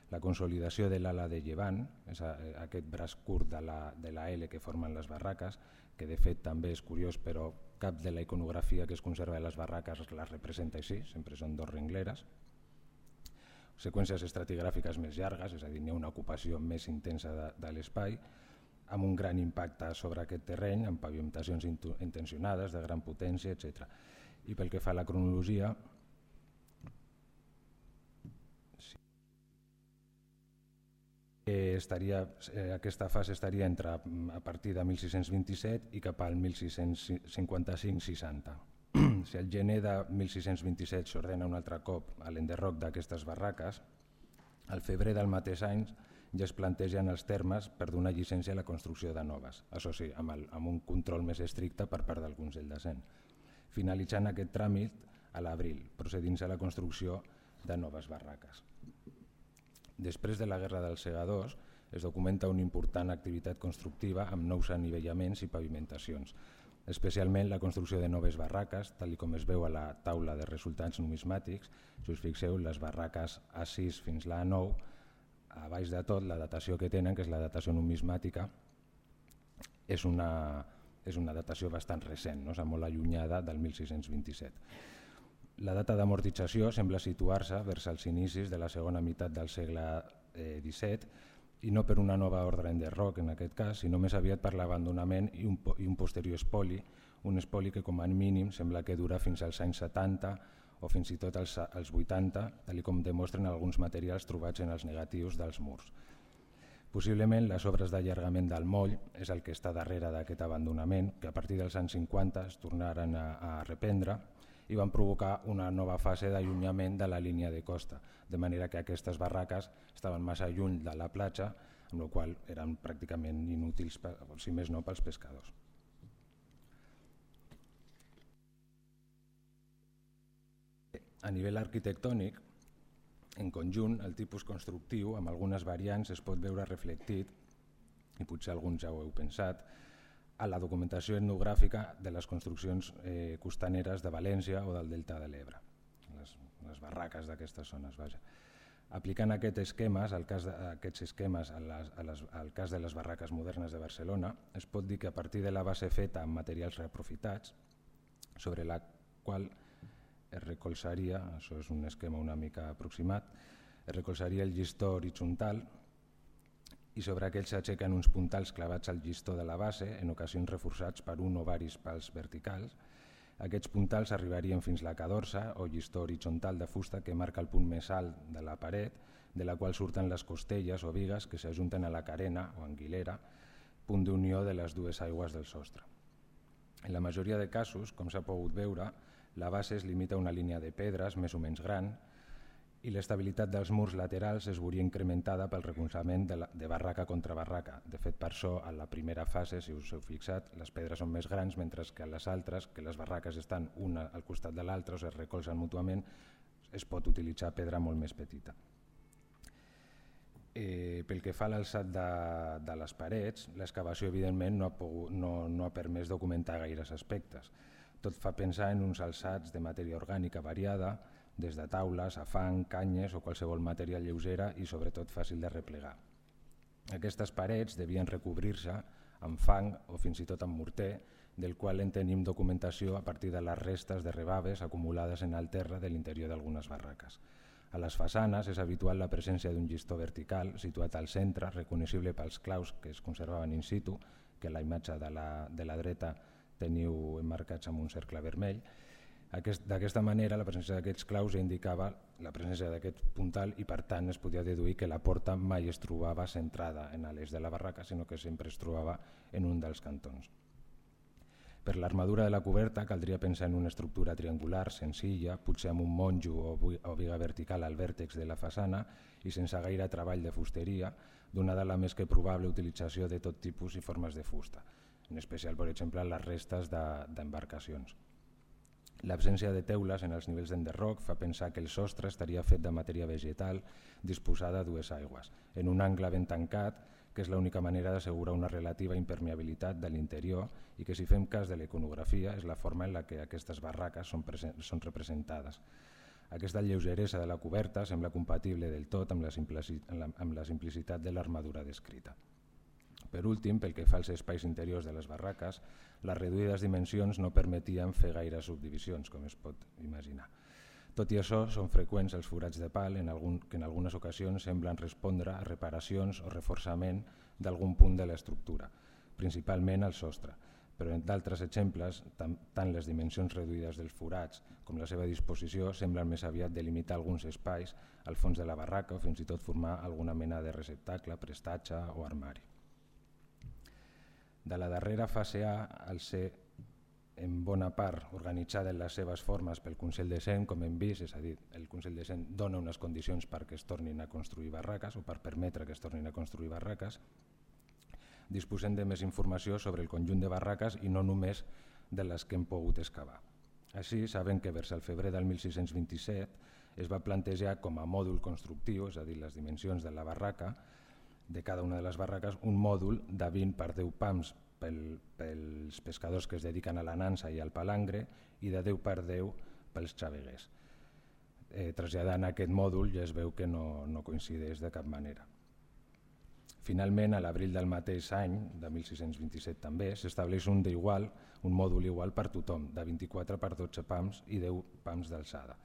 La consolidació de l'ala de llevant, és aquest braç curt de la, de la L que formen les barraques, que de fet també és curiós, però cap de la iconografia que es conserva de les barraques les representa així, sempre són dos rengleres. Seqüències estratigràfiques més llargues, és a dir, n'hi ha una ocupació més intensa de, de l'espai, amb un gran impacte sobre aquest terreny, amb pavimentacions intencionades, de gran potència, etcètera. I pel que fa a la cronologia, Estaria, eh, aquesta fase estaria entre a partir de mil sis-cents vint-i-set i cap al mil sis-cents cinquanta-cinc seixanta. Si al gener de mil sis-cents vint-i-set s'ordena un altre cop a l'enderroc d'aquestes barraques, al febrer del mateix any ja es plantegen els termes per donar llicència a la construcció de noves, això sí, amb, el, amb un control més estricte per part del Consell de Cent, finalitzant aquest tràmit a l'abril, procedint-se a la construcció de noves barraques. Després de la Guerra dels Segadors es documenta una important activitat constructiva amb nous anivellaments i pavimentacions, especialment la construcció de noves barraques, tal com es veu a la taula de resultats numismàtics. Si us fixeu, les barraques A sis fins a la A nou, a baix de tot la datació que tenen, que és la datació numismàtica, és una, és una datació bastant recent, no? Molt allunyada del mil sis-cents vint-i-set. La data d'amortització sembla situar-se vers els inicis de la segona meitat del segle disset i no per una nova ordre enderroc en aquest cas, sinó més aviat per l'abandonament i, un, i un posterior espoli, un espoli que com a mínim sembla que dura fins als anys setanta o fins i tot als, als vuitanta, tal com demostren alguns materials trobats en els negatius dels murs. Possiblement les obres d'allargament del moll és el que està darrere d'aquest abandonament, que a partir dels anys cinquanta es tornaren a, a reprendre i van provocar una nova fase d'allunyament de la línia de costa, de manera que aquestes barraques estaven massa lluny de la platja, amb la qual eren pràcticament inútils, si més no, pels pescadors. A nivell arquitectònic, en conjunt, el tipus constructiu, amb algunes variants, es pot veure reflectit, i potser alguns ja ho heu pensat, a la documentació etnogràfica de les construccions eh, costaneres de València o del Delta de l'Ebre, les, les barraques d'aquestes zones. Vaja. Aplicant aquests esquemes, al cas de, aquests esquemes a les, a les, al cas de les barraques modernes de Barcelona, es pot dir que a partir de la base feta amb materials reaprofitats, sobre la qual es recolzaria, això és un esquema una mica aproximat, es recolzaria el llistó horitzontal i sobre aquell s'aixequen uns puntals clavats al llistó de la base, en ocasions reforçats per un o varis pals verticals. Aquests puntals arribarien fins a la cadorsa o llistó horitzontal de fusta que marca el punt més alt de la paret, de la qual surten les costelles o vigues que s'ajunten a la carena o anguilera, punt d'unió de les dues aigües del sostre. En la majoria de casos, com s'ha pogut veure, la base es limita a una línia de pedres més o menys gran i l'estabilitat dels murs laterals es veuria incrementada pel recolzament de, la, de barraca contra barraca. De fet, per això, a la primera fase, si us heu fixat, les pedres són més grans, mentre que a les altres, que les barraques estan una al costat de l'altra o es recolzen mútuament, es pot utilitzar pedra molt més petita. Eh, pel que fa a l'alçat de, de les parets, l'excavació evidentment no ha, pogut, no, no ha permès documentar gaires aspectes. Tot fa pensar en uns alçats de matèria orgànica variada, des de taules a fang, canyes o qualsevol material lleugera i sobretot fàcil de replegar. Aquestes parets devien recobrir-se amb fang o fins i tot amb morter, del qual en tenim documentació a partir de les restes de rebaves acumulades en el terra de l'interior d'algunes barraques. A les façanes és habitual la presència d'un llistó vertical situat al centre, reconeixible pels claus que es conservaven in situ, que a la imatge de la, de la dreta teniu emmarcats amb un cercle vermell. D'aquesta manera, la presència d'aquests claus indicava la presència d'aquest puntal i, per tant, es podia deduir que la porta mai es trobava centrada en l'eix de la barraca, sinó que sempre es trobava en un dels cantons. Per l'armadura de la coberta caldria pensar en una estructura triangular, senzilla, potser amb un monjo o viga vertical al vèrtex de la façana i sense gaire treball de fusteria, donada la més que probable utilització de tot tipus i formes de fusta, en especial, per exemple, les restes d'embarcacions. L'absència de teules en els nivells d'enderroc fa pensar que el sostre estaria fet de matèria vegetal disposada a dues aigües, en un angle ben tancat, que és l'única manera d'assegurar una relativa impermeabilitat de l'interior i que, si fem cas de la iconografia, és la forma en la que aquestes barraques són, són representades. Aquesta lleugeresa de la coberta sembla compatible del tot amb la, amb la simplicitat de l'armadura descrita. Per últim, pel que fa als espais interiors de les barraques, les reduïdes dimensions no permetien fer gaire subdivisions, com es pot imaginar. Tot i això, són freqüents els forats de pal en algun, que en algunes ocasions semblen respondre a reparacions o reforçament d'algun punt de l'estructura, principalment al sostre, però en d'altres exemples, tant, tant les dimensions reduïdes dels forats com la seva disposició semblen més aviat delimitar alguns espais al fons de la barraca o fins i tot formar alguna mena de receptacle, prestatge o armari. De la darrera fase A, al ser en bona part organitzada en les seves formes pel Consell de Cent, com hem vist, és a dir, el Consell de Cent dona unes condicions perquè es tornin a construir barraques o per permetre que es tornin a construir barraques, disposem de més informació sobre el conjunt de barraques i no només de les que hem pogut excavar. Així, sabem que vers el febrer del mil sis-cents vint-i-set es va plantejar com a mòdul constructiu, és a dir, les dimensions de la barraca, de cada una de les barraques, un mòdul de vint per deu pams pel, pels pescadors que es dediquen a la nansa i al palangre i de deu per deu pels xaveguers. Eh, traslladant aquest mòdul ja es veu que no, no coincideix de cap manera. Finalment, a l'abril del mateix any, de mil sis-cents vint-i-set també, s'estableix un d'igual, un mòdul igual per tothom, de vint-i-quatre per dotze pams i deu pams d'alçada.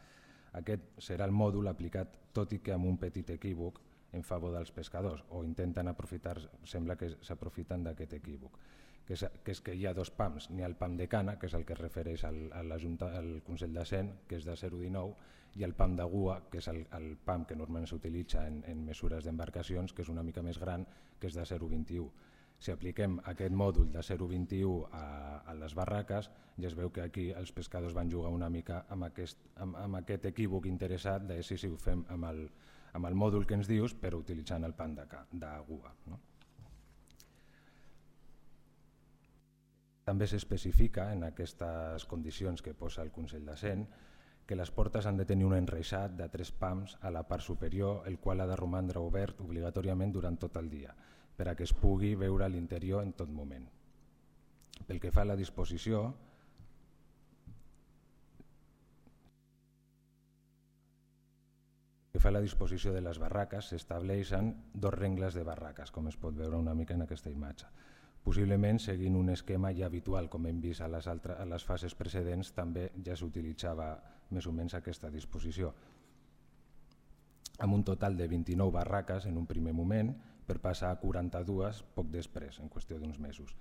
Aquest serà el mòdul aplicat, tot i que amb un petit equívoc, en favor dels pescadors, o intenten aprofitar, sembla que s'aprofiten d'aquest equívoc, que és, que és que hi ha dos pams, n'hi ha el pam de cana, que és el que es refereix al, a la Junta, al Consell de Cent, que és de zero coma dinou, i el pam de gua, que és el, el pam que normalment s'utilitza en, en mesures d'embarcacions, que és una mica més gran, que és de zero coma vint-i-u. Si apliquem aquest mòdul de zero coma vint-i-u a, a les barraques, ja es veu que aquí els pescadors van jugar una mica amb aquest, amb, amb aquest equívoc interessat de si, si ho fem amb el, amb el mòdul que ens dius, però utilitzant el pam de, de gua. No? També s'especifica en aquestes condicions que posa el Consell de Cent que les portes han de tenir un enreixat de tres pams a la part superior, el qual ha de romandre obert obligatòriament durant tot el dia, per a que es pugui veure a l'interior en tot moment. Pel que fa a la disposició, que fa la disposició de les barraques, s'estableixen dos rengles de barraques, com es pot veure una mica en aquesta imatge. Possiblement, seguint un esquema ja habitual, com hem vist a les, altres, a les fases precedents, també ja s'utilitzava més o menys aquesta disposició. Amb un total de vint-i-nou barraques en un primer moment, per passar a quaranta-dues poc després, en qüestió d'uns mesos.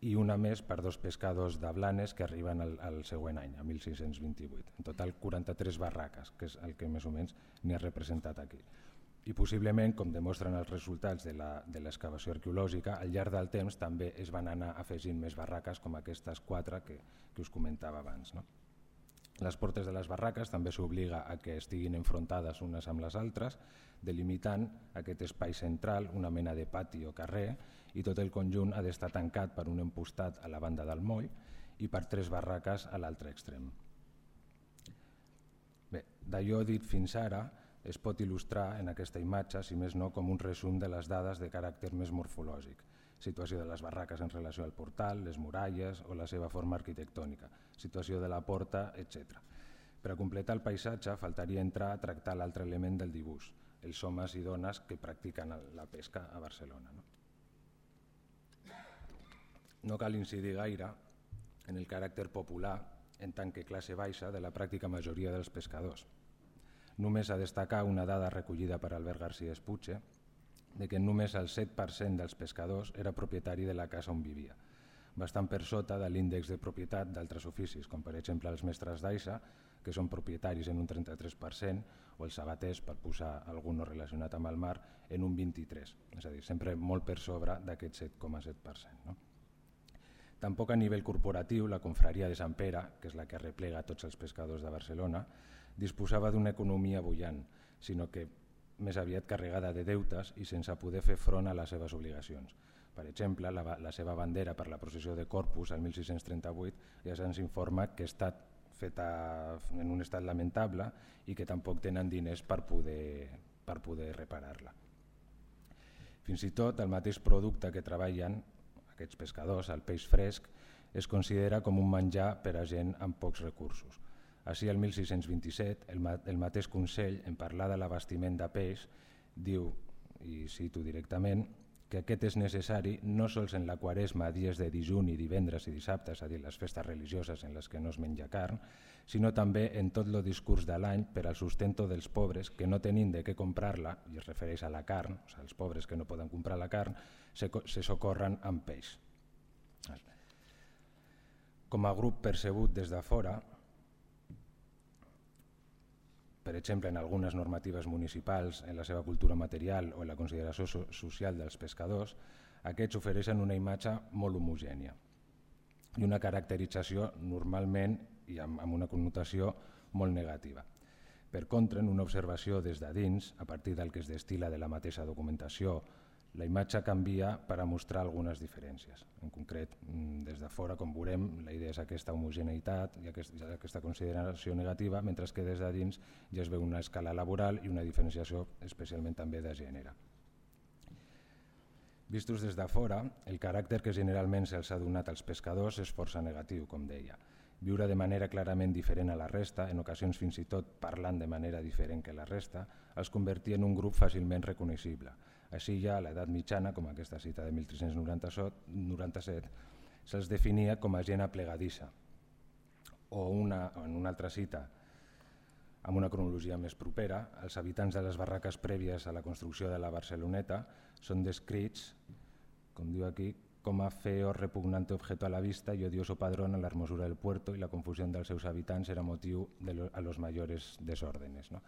I una més per dos pescadors de Blanes que arriben al, al següent any, a mil sis-cents vint-i-vuit. En total, quaranta-tres barraques, que és el que més o menys n'hi ha representat aquí. I possiblement, com demostren els resultats de l'excavació arqueològica, al llarg del temps també es van anar afegint més barraques com aquestes quatre que, que us comentava abans. No? Les portes de les barraques també s'obliga a que estiguin enfrontades unes amb les altres, delimitant aquest espai central, una mena de pati o carrer, i tot el conjunt ha d'estar tancat per un empostat a la banda del moll i per tres barraques a l'altre extrem. Bé, d'allò dit fins ara es pot il·lustrar en aquesta imatge, si més no, com un resum de les dades de caràcter més morfològic, situació de les barraques en relació al portal, les muralles o la seva forma arquitectònica, situació de la porta, etcètera. Per a completar el paisatge faltaria entrar a tractar l'altre element del dibuix, els homes i dones que practiquen la pesca a Barcelona. No? No cal incidir gaire en el caràcter popular en tant que classe baixa de la pràctica majoria dels pescadors. Només a destacar una dada recollida per Albert García Espuche de que només el set per cent dels pescadors era propietari de la casa on vivia, bastant per sota de l'índex de propietat d'altres oficis, com per exemple els mestres d'aixa, que són propietaris en un trenta-tres per cent, o els sabaters, per posar algun no relacionat amb el mar, en un vint-i-tres per cent, és a dir, sempre molt per sobre d'aquest set coma set per cent. No? Tampoc a nivell corporatiu, la confraria de Sant Pere, que és la que arreplega tots els pescadors de Barcelona, disposava d'una economia bullant, sinó que més aviat carregada de deutes i sense poder fer front a les seves obligacions. Per exemple, la, la seva bandera per la processió de Corpus el mil sis-cents trenta-vuit ja se'ns informa que ha estat feta en un estat lamentable i que tampoc tenen diners per poder, per poder reparar-la. Fins i tot el mateix producte que treballen aquests pescadors, el peix fresc, es considera com un menjar per a gent amb pocs recursos. Així, el mil sis-cents vint-i-set, el, ma el mateix Consell, en parlar de l'abastiment de peix, diu, i cito directament, que aquest és necessari no sols en la quaresma, dies de dijuni, divendres i dissabtes, és a dir, les festes religioses en les que no es menja carn, sinó també en tot el discurs de l'any per al sustento dels pobres que no tenint de què comprar-la, i es refereix a la carn, o sigui, els pobres que no poden comprar la carn, se, se socorren amb peix. Com a grup percebut des de fora, per exemple, en algunes normatives municipals, en la seva cultura material o en la consideració so social dels pescadors, aquests ofereixen una imatge molt homogènia i una caracterització normalment i amb, amb una connotació molt negativa. Per contra, en una observació des de dins, a partir del que es destila de la mateixa documentació, la imatge canvia per a mostrar algunes diferències. En concret, des de fora, com veurem, la idea és aquesta homogeneïtat i aquesta consideració negativa, mentre que des de dins ja es veu una escala laboral i una diferenciació especialment també de gènere. Vistos des de fora, el caràcter que generalment se'ls ha donat als pescadors és força negatiu, com deia. Viure de manera clarament diferent a la resta, en ocasions fins i tot parlant de manera diferent que la resta, els convertia en un grup fàcilment reconeixible. Així ja a l'edat mitjana, com aquesta cita de mil tres-cents noranta-set, se'ls definia com a gent aplegadissa. O una, en una altra cita, amb una cronologia més propera, els habitants de les barraques prèvies a la construcció de la Barceloneta són descrits, com diu aquí, com a feo, repugnante objeto a la vista y odioso padrón a la hermosura del puerto y la confusión dels seus habitants era motiu de lo, a los mayores desórdenes. No?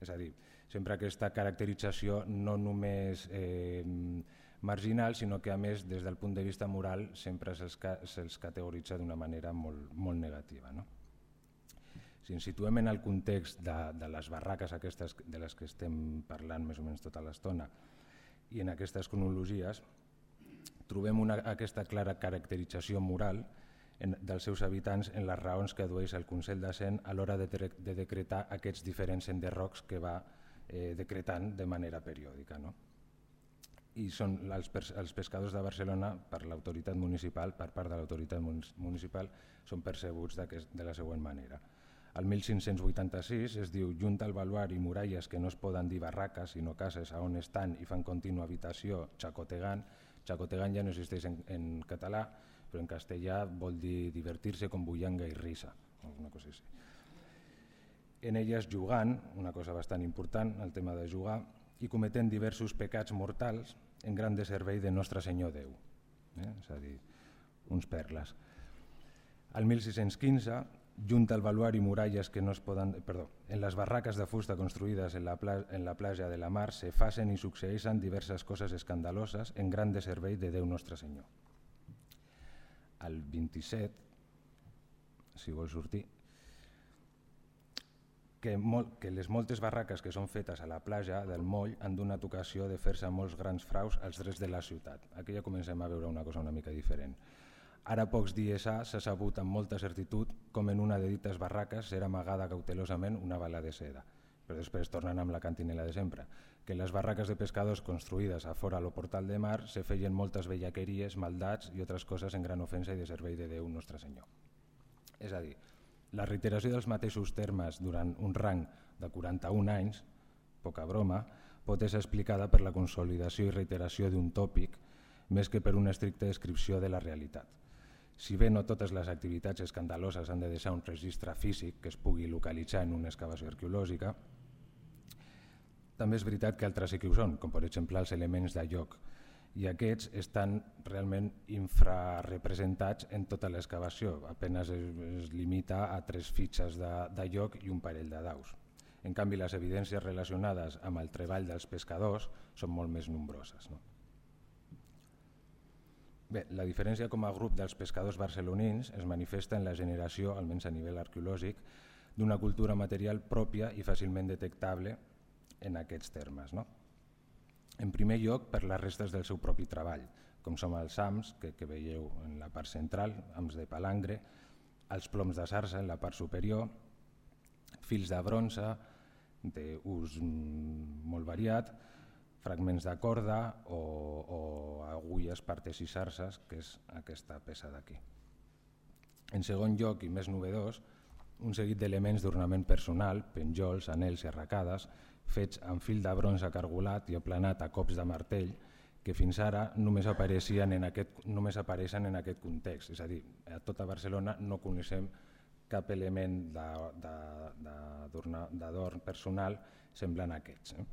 És a dir, sempre aquesta caracterització no només eh, marginal, sinó que a més des del punt de vista moral sempre se'ls se categoritza d'una manera molt, molt negativa. No? Si ens situem en el context de, de les barraques aquestes de les que estem parlant més o menys tota l'estona i en aquestes cronologies, trobem una, aquesta clara caracterització moral en, dels seus habitants en les raons que adueix el Consell de Cent a l'hora de, de decretar aquests diferents enderrocs que va eh, decretant de manera periòdica. No? I són els, els pescadors de Barcelona, per l'autoritat municipal, per part de l'autoritat municipal, són percebuts de la següent manera. El mil cinc-cents vuitanta-sis es diu junta al baluar i muralles que no es poden dir barraques, sinó cases a on estan i fan contínua habitació xacotegant. Xacotegant ja no existeix en, en català, però en castellà vol dir divertir-se com bullanga i risa, alguna cosa així. En elles jugant, una cosa bastant important, el tema de jugar, i cometent diversos pecats mortals en gran de servei de Nostre Senyor Déu, eh? És a dir, uns perles. Al mil sis-cents quinze, junta al baluar i muralles que no es poden... Perdó, en les barraques de fusta construïdes en la, pla, en la platja de la mar se facen i succeeixen diverses coses escandaloses en gran de servei de Déu Nostre Senyor. Al vint-i-set, si vol sortir, que, molt, que les moltes barraques que són fetes a la platja del moll han donat ocasió de fer-se molts grans fraus als drets de la ciutat. Aquí ja comencem a veure una cosa una mica diferent. Ara, pocs dies ha, s'ha sabut amb molta certitud com en una de dites barraques era amagada cautelosament una bala de seda. Però després tornen amb la cantinela de sempre, que en les barraques de pescadors construïdes a fora al portal de mar se feien moltes bellaqueries, maldats i altres coses en gran ofensa i de servei de Déu Nostre Senyor. És a dir, la reiteració dels mateixos termes durant un rang de quaranta-un anys, poca broma, pot ser explicada per la consolidació i reiteració d'un tòpic més que per una estricta descripció de la realitat. Si bé no totes les activitats escandaloses han de deixar un registre físic que es pugui localitzar en una excavació arqueològica, també és veritat que altres sí que ho són, com per exemple els elements de lloc, i aquests estan realment infrarrepresentats en tota l'excavació, apenas es, es limita a tres fitxes de, de lloc i un parell de daus. En canvi, les evidències relacionades amb el treball dels pescadors són molt més nombroses. No? Bé, la diferència com a grup dels pescadors barcelonins es manifesta en la generació, almenys a nivell arqueològic, d'una cultura material pròpia i fàcilment detectable en aquests termes. No? En primer lloc, per les restes del seu propi treball, com són els hams, que, que veieu en la part central, hams de palangre, els ploms de sarsa en la part superior, fils de bronze d'ús molt variat, fragments de corda o, o agulles, partes i sarses, que és aquesta peça d'aquí. En segon lloc, i més novedós, un seguit d'elements d'ornament personal, penjols, anells i arracades, fets amb fil de bronze cargolat i aplanat a cops de martell, que fins ara només apareixen en aquest, només apareixen en aquest context. És a dir, a tota Barcelona no coneixem cap element d'adorn personal semblant a aquests. Eh?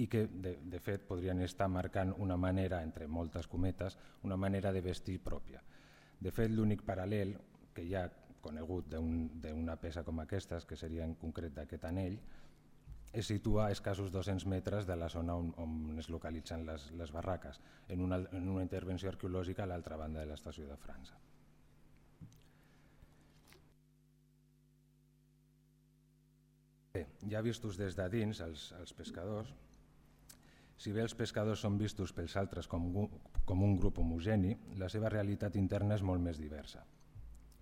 I que, de, de fet, podrien estar marcant una manera, entre moltes cometes, una manera de vestir pròpia. De fet, l'únic paral·lel que hi ha conegut d'una peça com aquestes, que seria en concret d'aquest anell, es situa a escassos dos-cents metres de la zona on, on es localitzen les, les barraques, en una, en una intervenció arqueològica a l'altra banda de l'estació de França. Bé, ja vistos des de dins els, els pescadors, si bé els pescadors són vistos pels altres com, com un grup homogeni, la seva realitat interna és molt més diversa.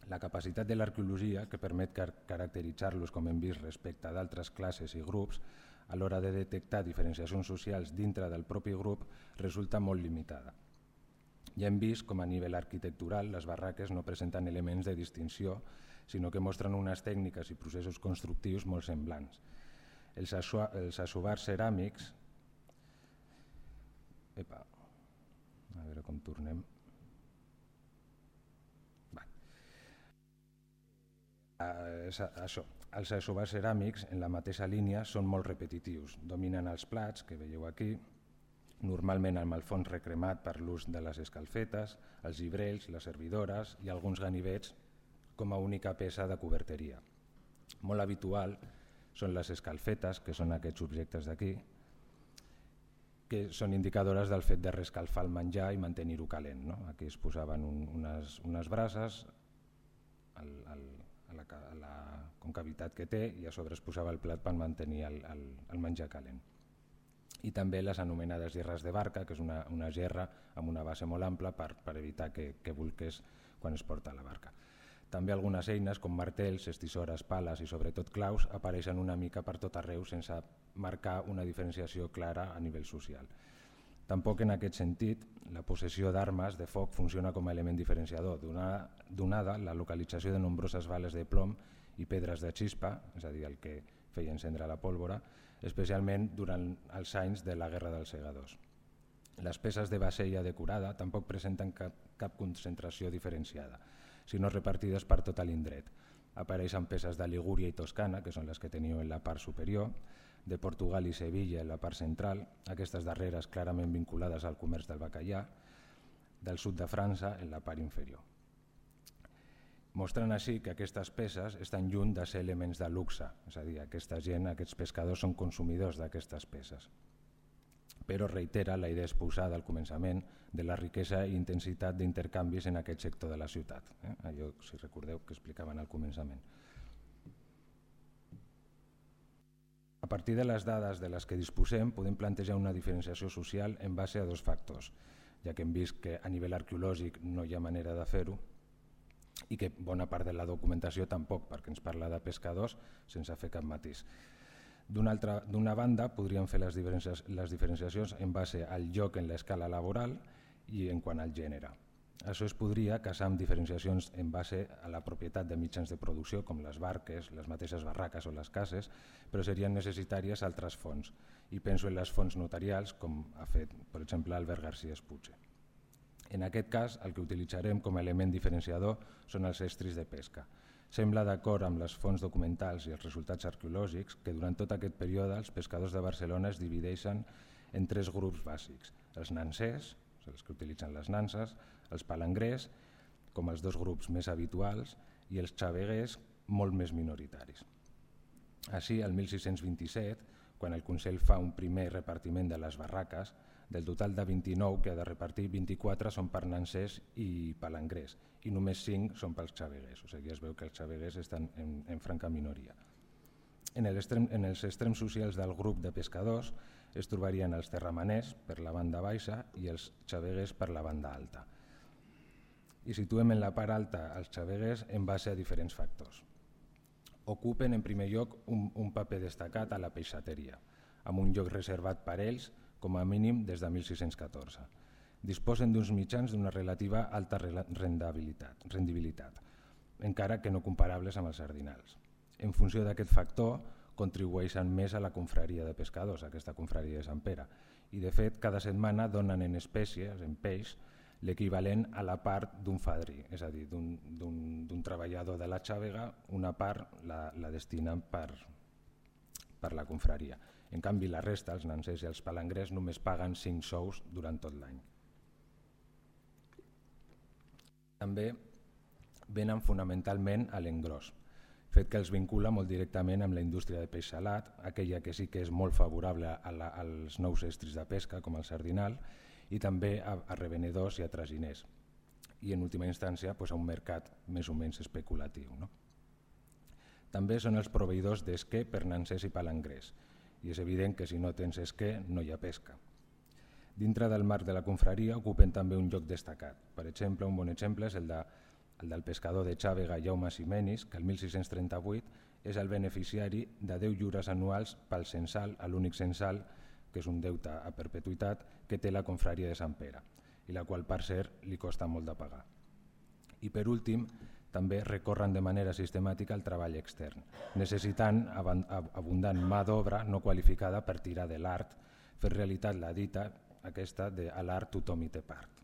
La capacitat de l'arqueologia, que permet car caracteritzar-los com hem vist respecte d'altres classes i grups, a l'hora de detectar diferenciacions socials dintre del propi grup, resulta molt limitada. Ja hem vist com a nivell arquitectural les barraques no presenten elements de distinció, sinó que mostren unes tècniques i processos constructius molt semblants. Els, els assovars ceràmics... Epa, a veure com tornem... Això, els assovars ceràmics en la mateixa línia són molt repetitius, dominen els plats que veieu aquí, normalment amb el fons recremat per l'ús de les escalfetes, els gibrells, les servidores i alguns ganivets com a única peça de coberteria. Molt habitual són les escalfetes, que són aquests objectes d'aquí, que són indicadores del fet de rescalfar el menjar i mantenir-ho calent. No? Aquí es posaven un, unes, unes brases al, al a la, a la concavitat que té i a sobre es posava el plat per mantenir el, el, el menjar calent. I també les anomenades gerres de barca, que és una, una gerra amb una base molt ampla per, per evitar que, que bolqués quan es porta a la barca. També algunes eines com martells, estisores, pales i sobretot claus apareixen una mica per tot arreu sense marcar una diferenciació clara a nivell social. Tampoc en aquest sentit, la possessió d'armes de foc funciona com a element diferenciador, donada la localització de nombroses bales de plom i pedres de xispa, és a dir, el que feia encendre la pólvora, especialment durant els anys de la Guerra dels Segadors. Les peces de Bassella decorada tampoc presenten cap, cap concentració diferenciada, sinó repartides per tot l'indret. Apareixen peces de Ligúria i Toscana, que són les que teniu en la part superior, de Portugal i Sevilla en la part central, aquestes darreres clarament vinculades al comerç del bacallà, del sud de França en la part inferior. Mostrant així que aquestes peces estan lluny de ser elements de luxe, és a dir, aquesta gent, aquests pescadors són consumidors d'aquestes peces. Però reitera la idea exposada al començament de la riquesa i intensitat d'intercanvis en aquest sector de la ciutat, eh? Allò, si recordeu, que explicaven al començament. A partir de les dades de les que disposem, podem plantejar una diferenciació social en base a dos factors, ja que hem vist que a nivell arqueològic no hi ha manera de fer-ho i que bona part de la documentació tampoc, perquè ens parla de pescadors sense fer cap matís. D'una banda, podríem fer les, diferenciacions, les diferenciacions en base al lloc en l'escala laboral i en quant al gènere. Això es podria casar amb diferenciacions en base a la propietat de mitjans de producció, com les barques, les mateixes barraques o les cases, però serien necessàries altres fonts. I penso en les fonts notarials, com ha fet, per exemple, Albert García Espuche. En aquest cas, el que utilitzarem com a element diferenciador són els estris de pesca. Sembla d'acord amb les fonts documentals i els resultats arqueològics que durant tot aquest període els pescadors de Barcelona es divideixen en tres grups bàsics. Els nansers, els que utilitzen les nanses, els palangrers, com els dos grups més habituals, i els xaveguers, molt més minoritaris. Així, el mil sis-cents vint-i-set, quan el Consell fa un primer repartiment de les barraques, del total de vint-i-nou que ha de repartir, vint-i-quatre són per nansers i palangrers i només cinc són pels xaveguers, o sigui, es veu que els xaveguers estan en, en franca minoria. En, el extrem, en els extrems socials del grup de pescadors es trobarien els terramaners per la banda baixa i els xaveguers per la banda alta. I situem en la part alta els xaveguers en base a diferents factors. Ocupen en primer lloc un, un paper destacat a la peixateria, amb un lloc reservat per ells com a mínim des de mil sis-cents catorze. Disposen d'uns mitjans d'una relativa alta rendibilitat, rendibilitat, encara que no comparables amb els sardinals. En funció d'aquest factor, contribueixen més a la confraria de pescadors, aquesta confraria de Sant Pere, i de fet cada setmana donen en espècies, en peix, l'equivalent a la part d'un fadrí, és a dir, d'un treballador de la xàvega, una part la, la destinen per, per la confraria. En canvi, la resta, els nansers i els palangrers, només paguen cinc sous durant tot l'any. També venen fonamentalment a l'engròs, fet que els vincula molt directament amb la indústria de peix salat, aquella que sí que és molt favorable a la, als nous estris de pesca, com el sardinal, i també a, a revenedors i a traginers, i en última instància pues, a un mercat més o menys especulatiu. No? També són els proveïdors d'esquer per nansers i palangrers, i és evident que si no tens esquer no hi ha pesca. Dintre del marc de la confraria ocupen també un lloc destacat. Per exemple, un bon exemple és el, de, el del pescador de xàvega Jaume Simenis, que el mil sis-cents trenta-vuit és el beneficiari de deu lliures anuals pel censal, a l'únic censal, que és un deute a perpetuïtat, que té la confraria de Sant Pere, i la qual, per cert, li costa molt de pagar. I per últim, també recorren de manera sistemàtica al treball extern, necessitant abundant mà d'obra no qualificada per tirar de l'art, fer realitat la dita aquesta de a l'art tothom hi té part.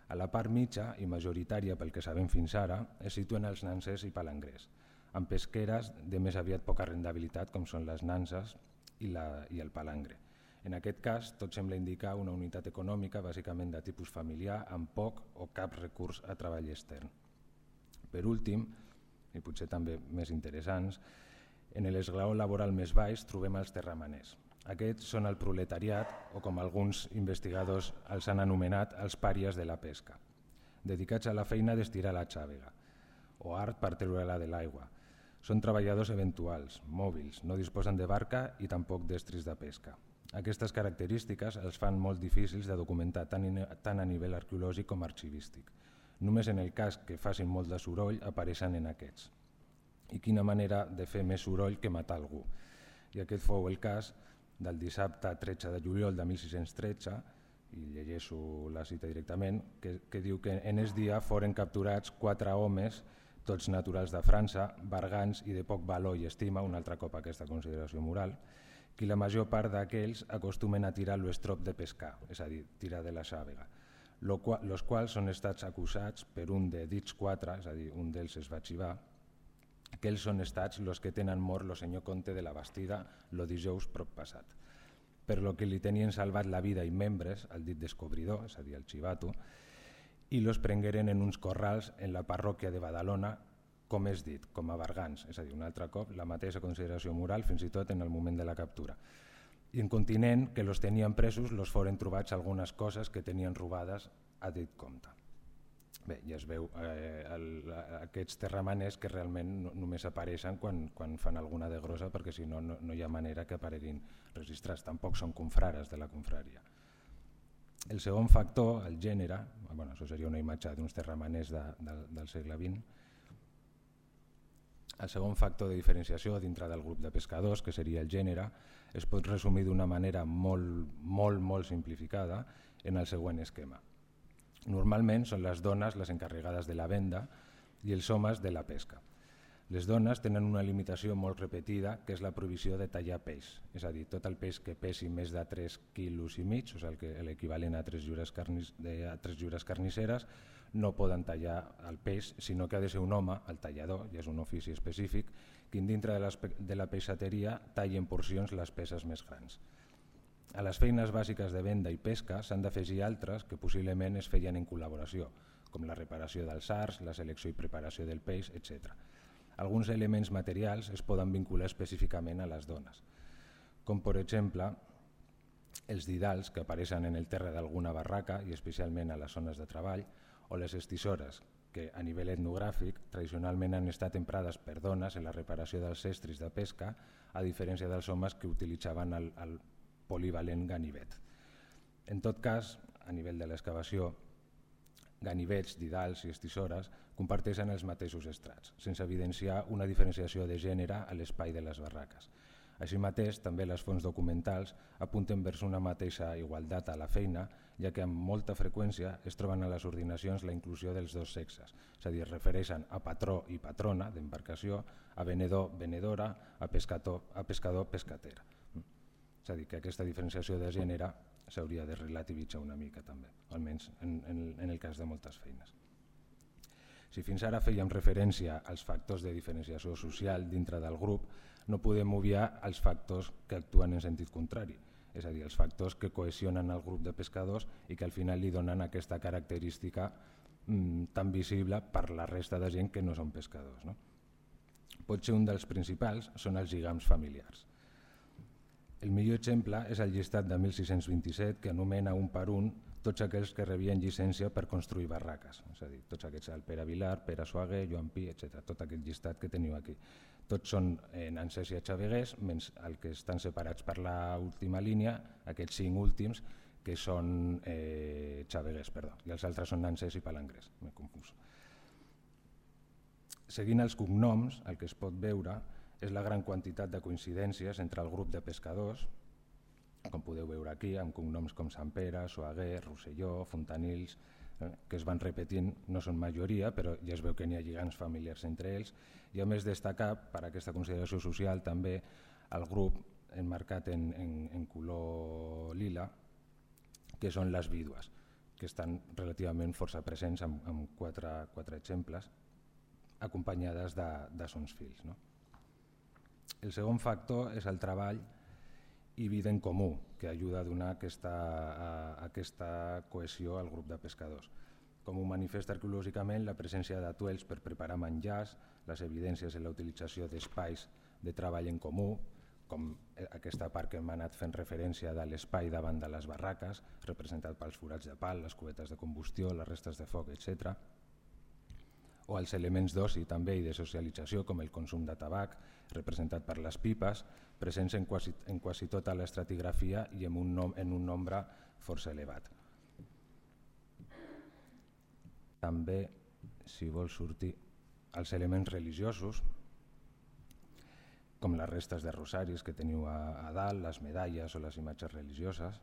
A la part mitja i majoritària pel que sabem fins ara es situen els nansers i palangrers, amb pesqueres de més aviat poca rendibilitat com són les nanses i, la, i el palangre. En aquest cas, tot sembla indicar una unitat econòmica bàsicament de tipus familiar amb poc o cap recurs a treball extern. Per últim, i potser també més interessants, en l'esglaó laboral més baix trobem els terramaners. Aquests són el proletariat, o com alguns investigadors els han anomenat, els pàries de la pesca, dedicats a la feina d'estirar la xàvega, o art per treure-la de l'aigua. Són treballadors eventuals, mòbils, no disposen de barca i tampoc d'estris de pesca. Aquestes característiques els fan molt difícils de documentar tant a nivell arqueològic com arxivístic. Només en el cas que facin molt de soroll apareixen en aquests. I quina manera de fer més soroll que matar algú. I aquest fou el cas del dissabte tretze de juliol de mil sis-cents tretze, i llegeixo la cita directament, que, que diu que en es dia foren capturats quatre homes, tots naturals de França, bergants i de poc valor i estima, un altre cop aquesta consideració moral, que la major part d'aquells acostumen a tirar l'estrop de pescar, és a dir, tirar de la xàvega, los quals són estats acusats per un de dits quatre, és a dir, un d'ells es va xivar, que ells són estats els que tenen mort el senyor Comte de la Bastida el dijous prop passat, per lo que li tenien salvat la vida i membres al dit descobridor, és a dir, el xivato, i los prengueren en uns corrals en la parròquia de Badalona, com és dit, com a bergants, és a dir, un altre cop la mateixa consideració moral fins i tot en el moment de la captura. I en continent que los tenien presos los foren trobats algunes coses que tenien robades a dit compte. Bé, ja es veu eh, el, aquests terramaners que realment no, només apareixen quan, quan fan alguna de grossa, perquè si no, no, no hi ha manera que apareguin registrats, tampoc són confrares de la confraria. El segon factor, el gènere, bueno, això seria una imatge d'uns terramaners de, de, del segle vint. El segon factor de diferenciació dintre del grup de pescadors, que seria el gènere, es pot resumir d'una manera molt, molt, molt simplificada en el següent esquema. Normalment són les dones les encarregades de la venda i els homes de la pesca. Les dones tenen una limitació molt repetida, que és la prohibició de tallar peix, és a dir, tot el peix que pesi més de tres quilos i mig, o sigui, l'equivalent a tres lliures carnisseres, no poden tallar el peix, sinó que ha de ser un home, el tallador, i és un ofici específic, que dintre de la peixateria talli en porcions les peces més grans. A les feines bàsiques de venda i pesca s'han d'afegir altres que possiblement es feien en col·laboració, com la reparació dels arts, la selecció i preparació del peix, etcètera. Alguns elements materials es poden vincular específicament a les dones, com per exemple els didals que apareixen en el terra d'alguna barraca i especialment a les zones de treball, o les estissores, que a nivell etnogràfic tradicionalment han estat emprades per dones en la reparació dels estris de pesca, a diferència dels homes que utilitzaven el, el polivalent ganivet. En tot cas, a nivell de l'excavació, ganivets, didals i estissores comparteixen els mateixos estrats, sense evidenciar una diferenciació de gènere a l'espai de les barraques. Així mateix, també les fonts documentals apunten vers una mateixa igualtat a la feina, ja que amb molta freqüència es troben a les ordinacions la inclusió dels dos sexes, és a dir, es refereixen a patró i patrona d'embarcació, a venedor, venedora, a pescador, a pescador, pescatera. És a dir, que aquesta diferenciació de gènere s'hauria de relativitzar una mica també, almenys en, en, en el cas de moltes feines. Si fins ara fèiem referència als factors de diferenciació social dintre del grup, no podem obviar els factors que actuen en sentit contrari, és a dir, els factors que cohesionen el grup de pescadors i que al final li donen aquesta característica mmm, tan visible per la resta de gent que no són pescadors, no? Potser un dels principals són els lligams familiars. El millor exemple és el llistat de mil sis-cents vint-i-set que anomena un per un tots aquells que rebien llicència per construir barraques, és a dir, tots aquests, el Pere Vilar, Pere Suaguer, Joan Pi, etcètera, tot aquest llistat que teniu aquí. Tots són nansers i xaveguers, menys el que estan separats per l'última línia, aquests cinc últims, que són eh, xaveguers, perdó, i els altres són nansers i palangrers, m'he confús. Seguint els cognoms, el que es pot veure és la gran quantitat de coincidències entre el grup de pescadors, com podeu veure aquí, amb cognoms com Sant Pere, Suaguer, Rosselló, Fontanils, eh, que es van repetint, no són majoria, però ja es veu que n'hi ha lligams familiars entre ells, i a més destacar per aquesta consideració social també el grup emmarcat en, en, en color lila, que són les vídues, que estan relativament força presents amb, amb quatre, quatre exemples, acompanyades de, de sons fills, no? El segon factor és el treball i vida en comú, que ajuda a donar aquesta, a, a aquesta cohesió al grup de pescadors. Com ho manifesta arqueològicament la presència d'atuells per preparar menjars, les evidències en la utilització d'espais de treball en comú, com aquesta part que hem anat fent referència de l'espai davant de les barraques, representat pels forats de pal, les cubetes de combustió, les restes de foc, etcètera, o els elements d'oci també i de socialització com el consum de tabac, representat per les pipes, presents en quasi, en quasi tota l'estratigrafia i en un, nom, en un nombre força elevat. també, si vol sortir, els elements religiosos, com les restes de rosaris que teniu a, a dalt, les medalles o les imatges religioses,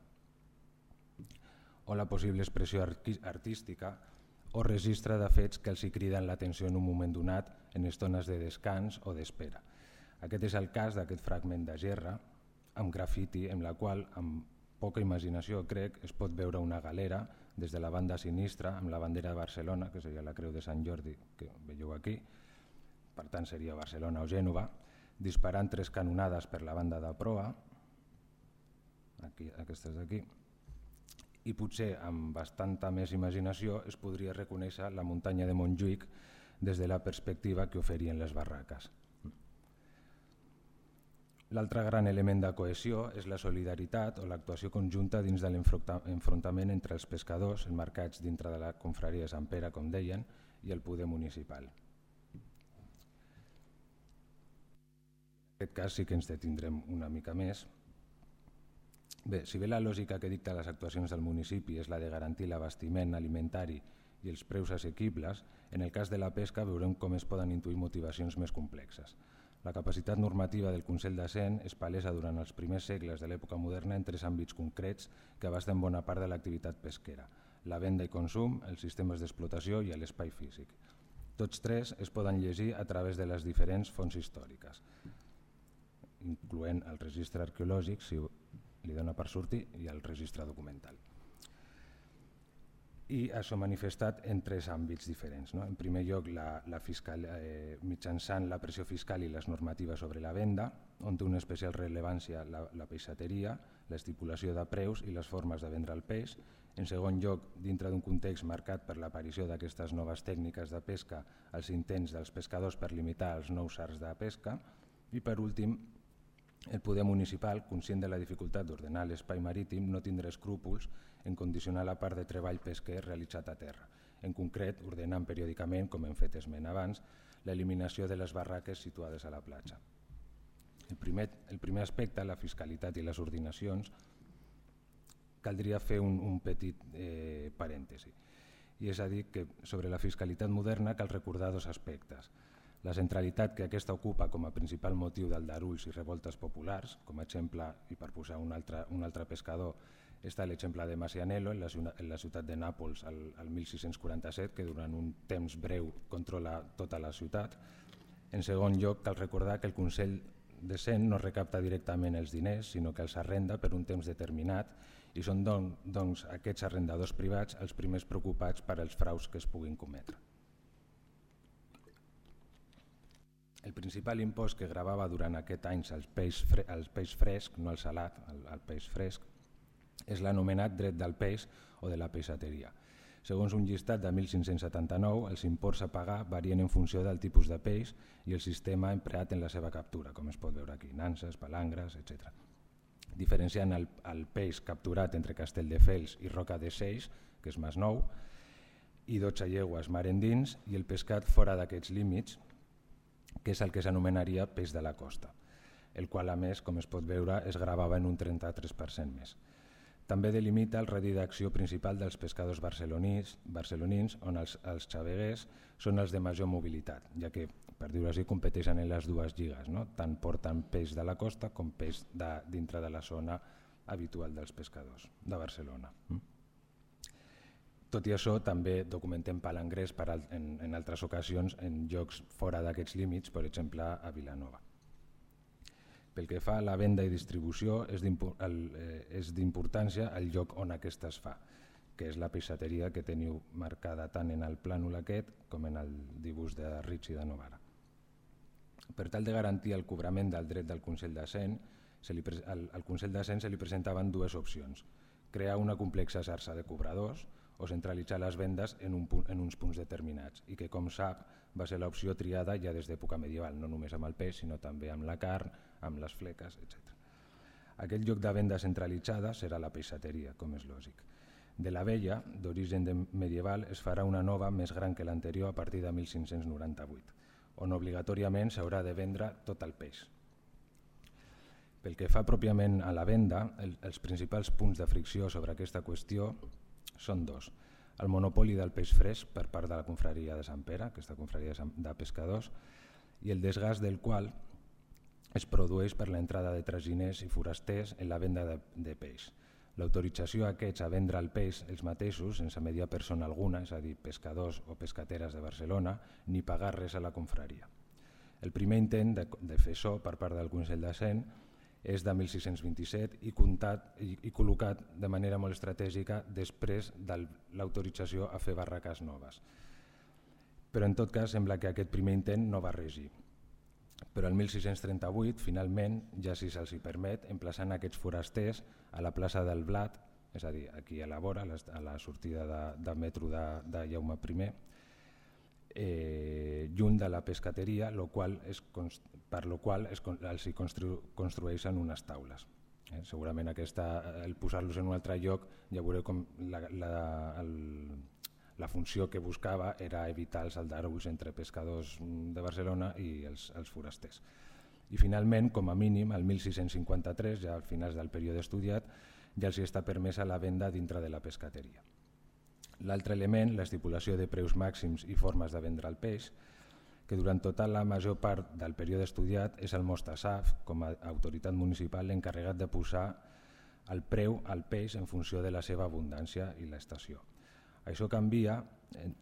o la possible expressió artística o registre de fets que els hi criden l'atenció en un moment donat en estones de descans o d'espera. Aquest és el cas d'aquest fragment de gerra amb grafiti en la qual, amb poca imaginació, crec, es pot veure una galera des de la banda sinistra amb la bandera de Barcelona, que seria la Creu de Sant Jordi, que veieu aquí, per tant seria Barcelona o Gènova, disparant tres canonades per la banda de proa, aquí, aquestes d'aquí, i potser amb bastanta més imaginació es podria reconèixer la muntanya de Montjuïc des de la perspectiva que oferien les barraques. L'altre gran element de cohesió és la solidaritat o l'actuació conjunta dins de l'enfrontament entre els pescadors emmarcats dintre de la confraria de Sant Pere, com deien, i el poder municipal. En aquest cas sí que ens detindrem una mica més. Bé, si bé la lògica que dicta les actuacions del municipi és la de garantir l'abastiment alimentari i els preus assequibles, en el cas de la pesca veurem com es poden intuir motivacions més complexes. La capacitat normativa del Consell de Cent és palesa durant els primers segles de l'època moderna en tres àmbits concrets que abasten bona part de l'activitat pesquera: la venda i consum, els sistemes d'explotació i l'espai físic. Tots tres es poden llegir a través de les diferents fonts històriques, incloent el registre arqueològic, si li dona per sortir, i el registre documental. I això manifestat en tres àmbits diferents. No? En primer lloc, la, la fiscal, eh, mitjançant la pressió fiscal i les normatives sobre la venda, on té una especial rellevància la, la peixateria, l'estipulació de preus i les formes de vendre el peix. En segon lloc, dintre d'un context marcat per l'aparició d'aquestes noves tècniques de pesca, els intents dels pescadors per limitar els nous arts de pesca. I per últim, el poder municipal, conscient de la dificultat d'ordenar l'espai marítim, no tindrà escrúpols en condicionar la part de treball pesquer realitzat a terra. En concret, ordenant periòdicament, com hem fet esment abans, l'eliminació de les barraques situades a la platja. El primer, el primer aspecte, la fiscalitat i les ordinacions, caldria fer un, un petit eh, parèntesi. I és a dir, que sobre la fiscalitat moderna cal recordar dos aspectes. La centralitat que aquesta ocupa com a principal motiu d'aldarulls i revoltes populars, com a exemple, i per posar un altre, un altre pescador, està l'exemple de Massianello en la, en la ciutat de Nàpols al, al mil sis-cents quaranta-set, que durant un temps breu controla tota la ciutat. En segon lloc, cal recordar que el Consell de Cent no recapta directament els diners, sinó que els arrenda per un temps determinat i són don, doncs aquests arrendadors privats els primers preocupats per als fraus que es puguin cometre. El principal impost que gravava durant aquest any el peix, fre, el peix fresc, no el salat, el, el peix fresc, és l'anomenat dret del peix o de la peixateria. Segons un llistat de mil cinc-cents setanta-nou, els imports a pagar varien en funció del tipus de peix i el sistema empleat en la seva captura, com es pot veure aquí, nanses, palangres, etcètera. Diferenciant el, el peix capturat entre Castelldefels i Roca de Seix, que és Masnou, i dotze llegües mar endins, i el pescat fora d'aquests límits, que és el que s'anomenaria peix de la costa, el qual a més, com es pot veure, es gravava en un trenta-tres per cent més. També delimita el radi d'acció principal dels pescadors barcelonins, barcelonins on els, els xaveguers són els de major mobilitat, ja que, per dir-ho així, competeixen en les dues lligues, no? Tant porten peix de la costa com peix de, dintre de la zona habitual dels pescadors de Barcelona. Tot i això, també documentem palangrers per al, en, en altres ocasions en llocs fora d'aquests límits, per exemple a Vilanova. Pel que fa a la venda i distribució, és d'importància el lloc on aquesta es fa, que és la peixateria que teniu marcada tant en el plànol aquest com en el dibuix de Ricci de Novara. Per tal de garantir el cobrament del dret del Consell de Cent, se li, al, al Consell de Cent se li presentaven dues opcions: crear una complexa xarxa de cobradors o centralitzar les vendes en, un punt, en uns punts determinats, i que, com sap, va ser l'opció triada ja des d'època medieval, no només amb el peix, sinó també amb la carn, amb les fleques, etcètera. Aquest lloc de venda centralitzada serà la peixateria, com és lògic. De la vella, d'origen medieval, es farà una nova més gran que l'anterior a partir de mil cinc-cents noranta-vuit, on obligatòriament s'haurà de vendre tot el peix. Pel que fa pròpiament a la venda, el, els principals punts de fricció sobre aquesta qüestió són dos. el monopoli del peix fresc per part de la confraria de Sant Pere, aquesta confraria de pescadors, i el desgast del qual es produeix per l'entrada de traginers i forasters en la venda de, de peix. L'autorització a aquests a vendre el peix els mateixos, sense mediar persona alguna, és a dir, pescadors o pescateres de Barcelona, ni pagar res a la confraria. El primer intent de, de fer això per part del Consell de Cent és de mil sis-cents vint-i-set i, comptat, i, i col·locat de manera molt estratègica després de l'autorització a fer barraques noves. Però en tot cas sembla que aquest primer intent no va regir. Però el mil sis-cents trenta-vuit, finalment, ja si se'ls hi permet, emplaçant aquests forasters a la plaça del Blat, és a dir, aquí a la vora, a la sortida de, de metro de, de Jaume I, eh, lluny de la pescateria, lo qual es, per lo qual es, els hi constru, construeixen unes taules. Eh, segurament aquesta, el posar-los en un altre lloc, ja veureu com la, la, el, la funció que buscava era evitar els aldarulls entre pescadors de Barcelona i els, els forasters. I finalment, com a mínim, el mil sis-cents cinquanta-tres, ja al final del període estudiat, ja els està permesa la venda dintre de la pescateria. L'altre element, l'estipulació de preus màxims i formes de vendre el peix, que durant tota la major part del període estudiat és el Mostasaf, com a autoritat municipal, l'encarregat de posar el preu al peix en funció de la seva abundància i l'estació. Això canvia,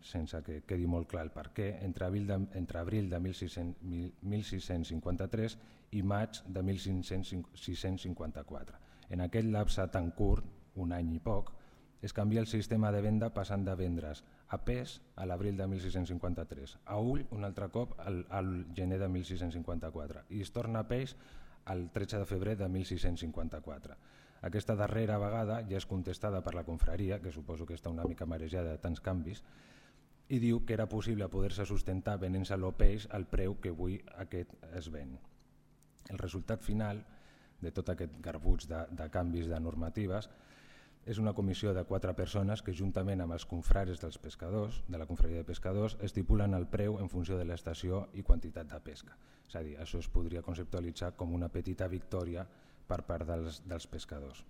sense que quedi molt clar el per què, entre abril de, entre abril de mil sis-cents cinquanta-tres i maig de mil sis-cents cinquanta-quatre. En aquest lapse tan curt, un any i poc, es canvia el sistema de venda passant de vendre's a pes a l'abril de mil sis-cents cinquanta-tres, a ull un altre cop al, al gener de mil sis-cents cinquanta-quatre i es torna a peix el tretze de febrer de mil sis-cents cinquanta-quatre. Aquesta darrera vegada ja és contestada per la confraria, que suposo que està una mica marejada de tants canvis, i diu que era possible poder-se sustentar venent-se el peix al preu que avui aquest es ven. El resultat final de tot aquest garbuig de, de canvis de normatives és una comissió de quatre persones que juntament amb els confrares dels pescadors, de la confraria de pescadors, estipulen el preu en funció de l'estació i quantitat de pesca. És a dir, això es podria conceptualitzar com una petita victòria per part dels, dels pescadors.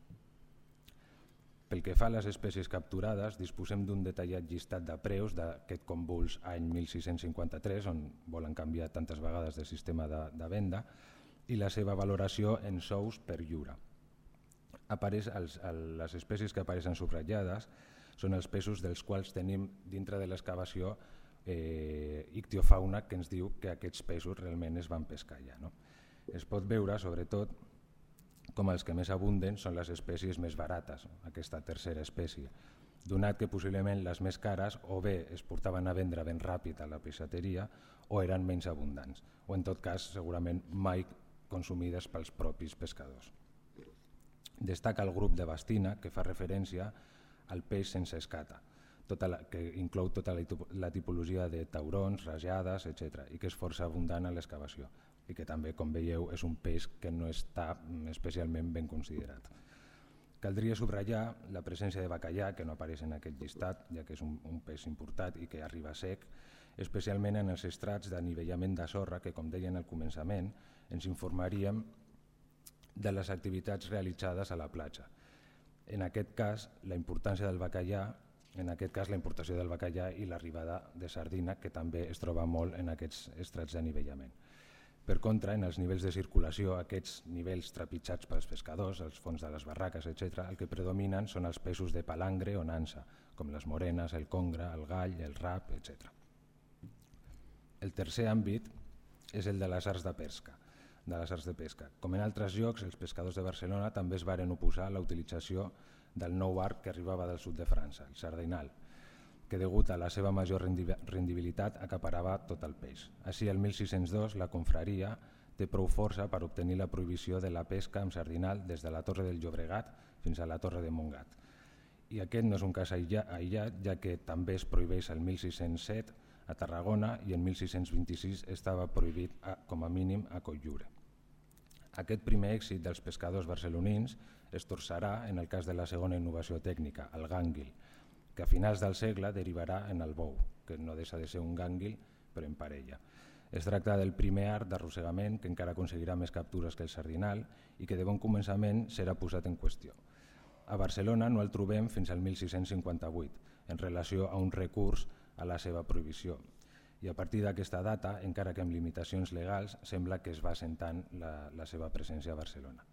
Pel que fa a les espècies capturades, disposem d'un detallat llistat de preus d'aquest convuls any mil sis-cents cinquanta-tres, on volen canviar tantes vegades de sistema de, de venda, i la seva valoració en sous per lliure. Apareix els, el, les espècies que apareixen subratllades són els peixos dels quals tenim dintre de l'excavació eh, ictiofauna que ens diu que aquests peixos realment es van pescar ja. No? Es pot veure, sobretot, com els que més abunden són les espècies més barates, aquesta tercera espècie, donat que possiblement les més cares o bé es portaven a vendre ben ràpid a la peixateria o eren menys abundants, o en tot cas segurament mai consumides pels propis pescadors. Destaca el grup de bastina, que fa referència al peix sense escata, tota la, que inclou tota la, la tipologia de taurons, rajades, etcètera, i que és força abundant a l'excavació, i que també, com veieu, és un peix que no està especialment ben considerat. Caldria subratllar la presència de bacallà, que no apareix en aquest llistat, ja que és un, un peix importat i que arriba sec, especialment en els estrats d'anivellament de sorra, que, com deien al començament, ens informaríem de les activitats realitzades a la platja. En aquest cas, la importància del bacallà, en aquest cas la importació del bacallà i l'arribada de sardina, que també es troba molt en aquests estrats d'anivellament. Per contra, en els nivells de circulació, aquests nivells trepitjats pels pescadors, els fons de les barraques, etcètera, el que predominen són els peixos de palangre o nansa, com les morenes, el congre, el gall, el rap, etcètera. El tercer àmbit és el de les arts de pesca. de les arts de pesca. Com en altres llocs, els pescadors de Barcelona també es varen oposar a la utilització del nou arc que arribava del sud de França, el sardinal, que degut a la seva major rendibilitat acaparava tot el peix. Així, el mil sis-cents dos, la confraria té prou força per obtenir la prohibició de la pesca amb sardinal des de la Torre del Llobregat fins a la Torre de Montgat. I aquest no és un cas aïllat, ja que també es prohibeix el mil sis-cents set a Tarragona i en mil sis-cents vint-i-sis estava prohibit a, com a mínim a Cotlliure. Aquest primer èxit dels pescadors barcelonins es torçarà en el cas de la segona innovació tècnica, el gànguil, que a finals del segle derivarà en el bou, que no deixa de ser un gànguil però en parella. Es tracta del primer art d'arrossegament que encara aconseguirà més captures que el sardinal i que de bon començament serà posat en qüestió. a Barcelona no el trobem fins al mil sis-cents cinquanta-vuit, en relació a un recurs a la seva prohibició. I a partir d'aquesta data, encara que amb limitacions legals, sembla que es va assentant la, la seva presència a Barcelona.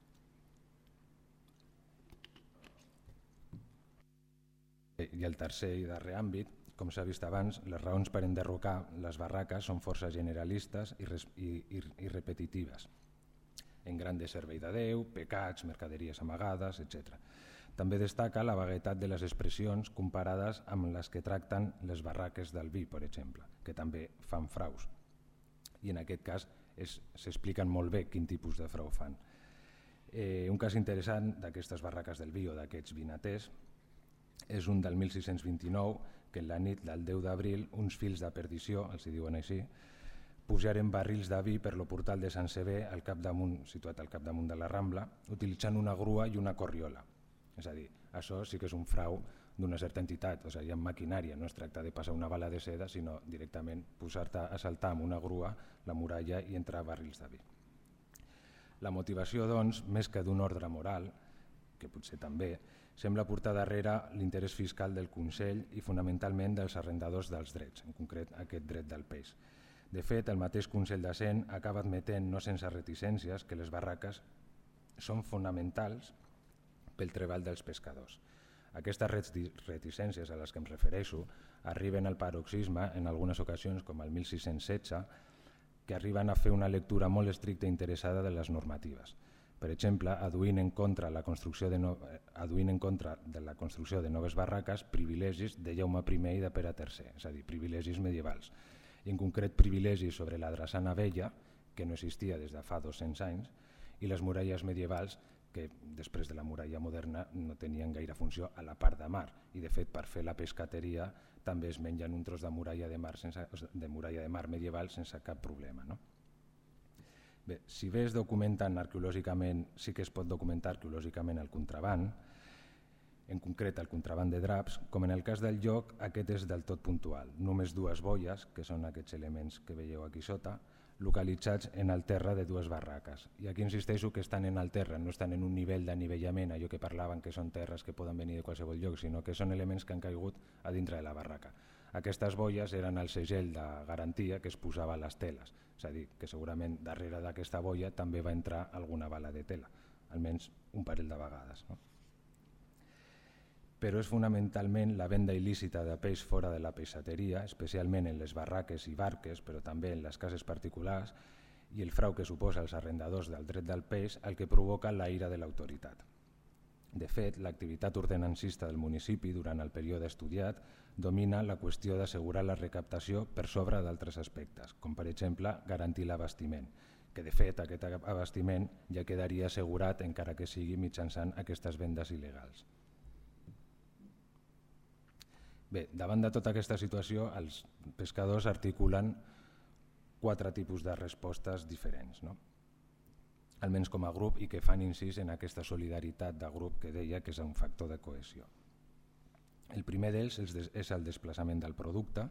I el tercer i darrer àmbit, com s'ha vist abans, les raons per enderrocar les barraques són força generalistes i, res, i, i, i repetitives. En gran de servei de Déu, pecats, mercaderies amagades, etcètera. També destaca la vaguetat de les expressions comparades amb les que tracten les barraques del vi, per exemple, que també fan fraus. I en aquest cas s'expliquen molt bé quin tipus de frau fan. Eh, un cas interessant d'aquestes barraques del vi o d'aquests vinaters és un del mil sis-cents vint-i-nou, que en la nit del deu d'abril uns fills de perdició, els hi diuen així, pujaren barrils de vi per lo portal de Sant Sever, al capdamunt, situat al capdamunt de la Rambla, utilitzant una grua i una corriola. És a dir, això sí que és un frau d'una certa entitat, o sigui, hi ha maquinària, no es tracta de passar una bala de seda, sinó directament posar-te a saltar amb una grua la muralla i entrar barrils de vi. La motivació, doncs, més que d'un ordre moral, que potser també, sembla portar darrere l'interès fiscal del Consell i fonamentalment dels arrendadors dels drets, en concret aquest dret del peix. De fet, el mateix Consell de Cent acaba admetent, no sense reticències, que les barraques són fonamentals pel treball dels pescadors. Aquestes reticències a les que em refereixo arriben al paroxisme en algunes ocasions, com el mil sis-cents setze, que arriben a fer una lectura molt estricta i interessada de les normatives. Per exemple, aduint en contra, la construcció de no... aduint en contra de la construcció de noves barraques privilegis de Jaume primer i de Pere tercer, és a dir, privilegis medievals. I en concret privilegis sobre la drassana vella, que no existia des de fa dos-cents anys, i les muralles medievals, que després de la muralla moderna no tenien gaire funció a la part de mar. I de fet, per fer la pescateria també es mengen un tros de muralla de mar, sense, de muralla de mar medieval sense cap problema, no? Bé, si bé es documenten arqueològicament, sí que es pot documentar arqueològicament el contraban, en concret el contraban de draps, com en el cas del lloc, aquest és del tot puntual. Només dues boies, que són aquests elements que veieu aquí sota, localitzats en el terra de dues barraques. I aquí insisteixo que estan en el terra, no estan en un nivell d'anivellament, allò que parlaven que són terres que poden venir de qualsevol lloc, sinó que són elements que han caigut a dintre de la barraca. Aquestes boies eren el segell de garantia que es posava a les teles, és a dir, que segurament darrere d'aquesta boia també va entrar alguna bala de tela, almenys un parell de vegades. No? Però és fonamentalment la venda il·lícita de peix fora de la peixateria, especialment en les barraques i barques, però també en les cases particulars, i el frau que suposa els arrendadors del dret del peix el que provoca la ira de l'autoritat. De fet, l'activitat ordenancista del municipi durant el període estudiat domina la qüestió d'assegurar la recaptació per sobre d'altres aspectes, com per exemple garantir l'abastiment, que de fet aquest abastiment ja quedaria assegurat encara que sigui mitjançant aquestes vendes il·legals. Bé, davant de tota aquesta situació, els pescadors articulen quatre tipus de respostes diferents, no? Almenys com a grup, i que fan incís en aquesta solidaritat de grup que deia que és un factor de cohesió. El primer d'ells és el desplaçament del producte,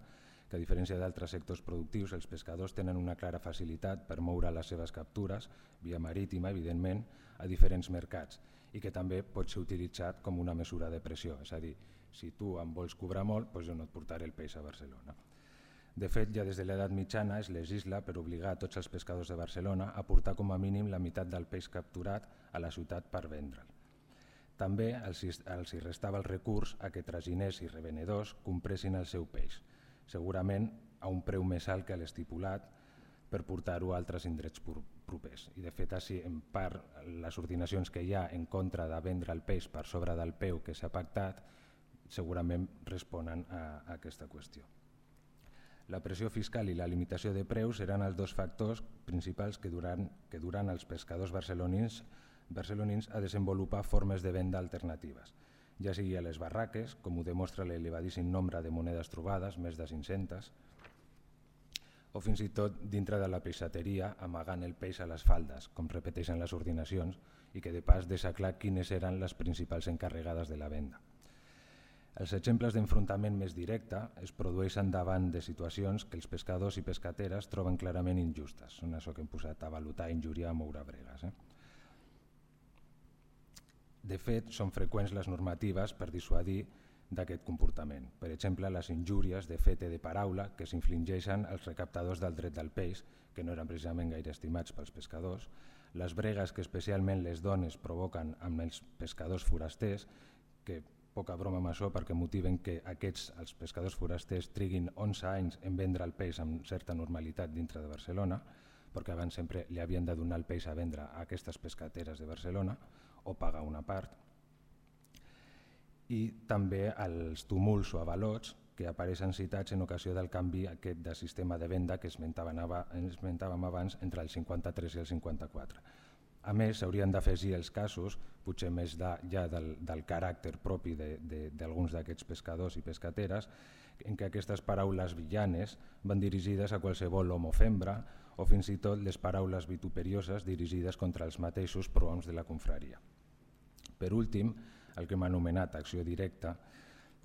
que a diferència d'altres sectors productius, els pescadors tenen una clara facilitat per moure les seves captures, via marítima, evidentment, a diferents mercats, i que també pot ser utilitzat com una mesura de pressió, és a dir, si tu em vols cobrar molt, doncs jo no et portaré el peix a Barcelona. De fet, ja des de l'edat mitjana es legisla per obligar a tots els pescadors de Barcelona a portar com a mínim la meitat del peix capturat a la ciutat per vendre'l. També els hi restava el recurs a que traginers i revenedors compressin el seu peix, segurament a un preu més alt que l'estipulat per portar-ho a altres indrets propers. I de fet, així, en part, les ordinacions que hi ha en contra de vendre el peix per sobre del preu que s'ha pactat segurament responen a aquesta qüestió. La pressió fiscal i la limitació de preus eren els dos factors principals que duran, que duran els pescadors barcelonins, barcelonins a desenvolupar formes de venda alternatives, ja sigui a les barraques, com ho demostra l'elevadíssim nombre de monedes trobades, més de cinc-centes, o fins i tot dintre de la peixateria amagant el peix a les faldes, com repeteixen les ordinacions, i que de pas deixa clar quines eren les principals encarregades de la venda. Els exemples d'enfrontament més directe es produeixen davant de situacions que els pescadors i pescateres troben clarament injustes. Són això que hem posat a valutar, injuriar, moure bregues. Eh? De fet, són freqüents les normatives per dissuadir d'aquest comportament. Per exemple, les injúries de fet i de paraula que s'infligeixen als recaptadors del dret del peix, que no eren precisament gaire estimats pels pescadors, les bregues que especialment les dones provoquen amb els pescadors forasters, que poca broma amb això perquè motiven que aquests, els pescadors forasters, triguin onze anys en vendre el peix amb certa normalitat dintre de Barcelona, perquè abans sempre li havien de donar el peix a vendre a aquestes pescateres de Barcelona o pagar una part. I també els tumults o avalots que apareixen citats en ocasió del canvi aquest de sistema de venda que esmentàvem abans entre el cinquanta-tres i el cinquanta-quatre. A més, s'haurien d'afegir els casos, potser més de, ja del, del caràcter propi d'alguns d'aquests pescadors i pescateres, en què aquestes paraules villanes van dirigides a qualsevol home o fembra, o fins i tot les paraules vituperioses dirigides contra els mateixos prohoms de la confraria. Per últim, el que hem anomenat acció directa,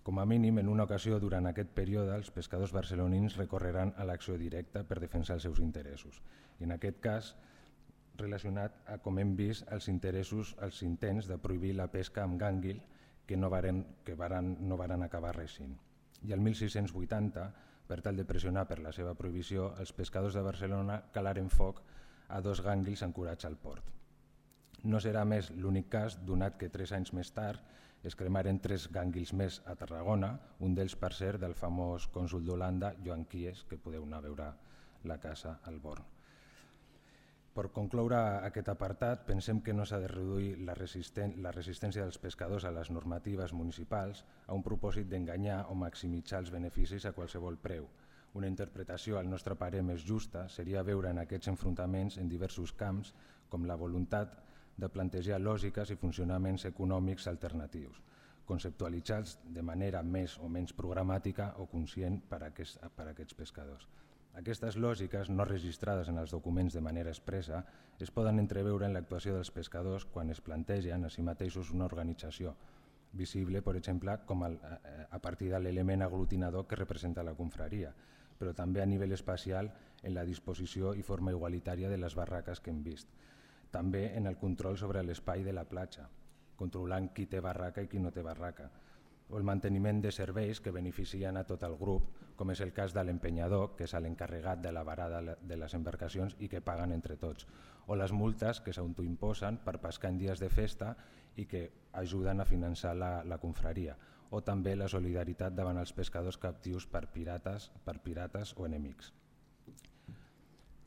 com a mínim, en una ocasió durant aquest període, els pescadors barcelonins recorreran a l'acció directa per defensar els seus interessos. I en aquest cas, relacionat a, com hem vist, els interessos, els intents de prohibir la pesca amb gànguil que no varen, que varen, no varen acabar reixint. I el mil sis-cents vuitanta, per tal de pressionar per la seva prohibició, els pescadors de Barcelona calaren foc a dos gànguils ancorats al port. No serà més l'únic cas, donat que tres anys més tard es cremaren tres gànguils més a Tarragona, un d'ells, per cert, del famós cònsol d'Holanda, Joan Quies, que podeu anar a veure la casa al Born. Per concloure aquest apartat, pensem que no s'ha de reduir la, resisten la resistència dels pescadors a les normatives municipals a un propòsit d'enganyar o maximitzar els beneficis a qualsevol preu. Una interpretació, al nostre parer, més justa seria veure en aquests enfrontaments en diversos camps com la voluntat de plantejar lògiques i funcionaments econòmics alternatius, conceptualitzats de manera més o menys programàtica o conscient per a aquests, per a aquests pescadors. Aquestes lògiques, no registrades en els documents de manera expressa, es poden entreveure en l'actuació dels pescadors quan es plantegen a si mateixos una organització, visible, per exemple, com el, a partir de l'element aglutinador que representa la confraria, però també a nivell espacial en la disposició i forma igualitària de les barraques que hem vist. També en el control sobre l'espai de la platja, controlant qui té barraca i qui no té barraca, o el manteniment de serveis que beneficien a tot el grup, com és el cas de l'empenyador, que és l'encarregat de la varada de les embarcacions i que paguen entre tots, o les multes que s'autoimposen per pescar en dies de festa i que ajuden a finançar la, la confraria, o també la solidaritat davant els pescadors captius per pirates, per pirates o enemics.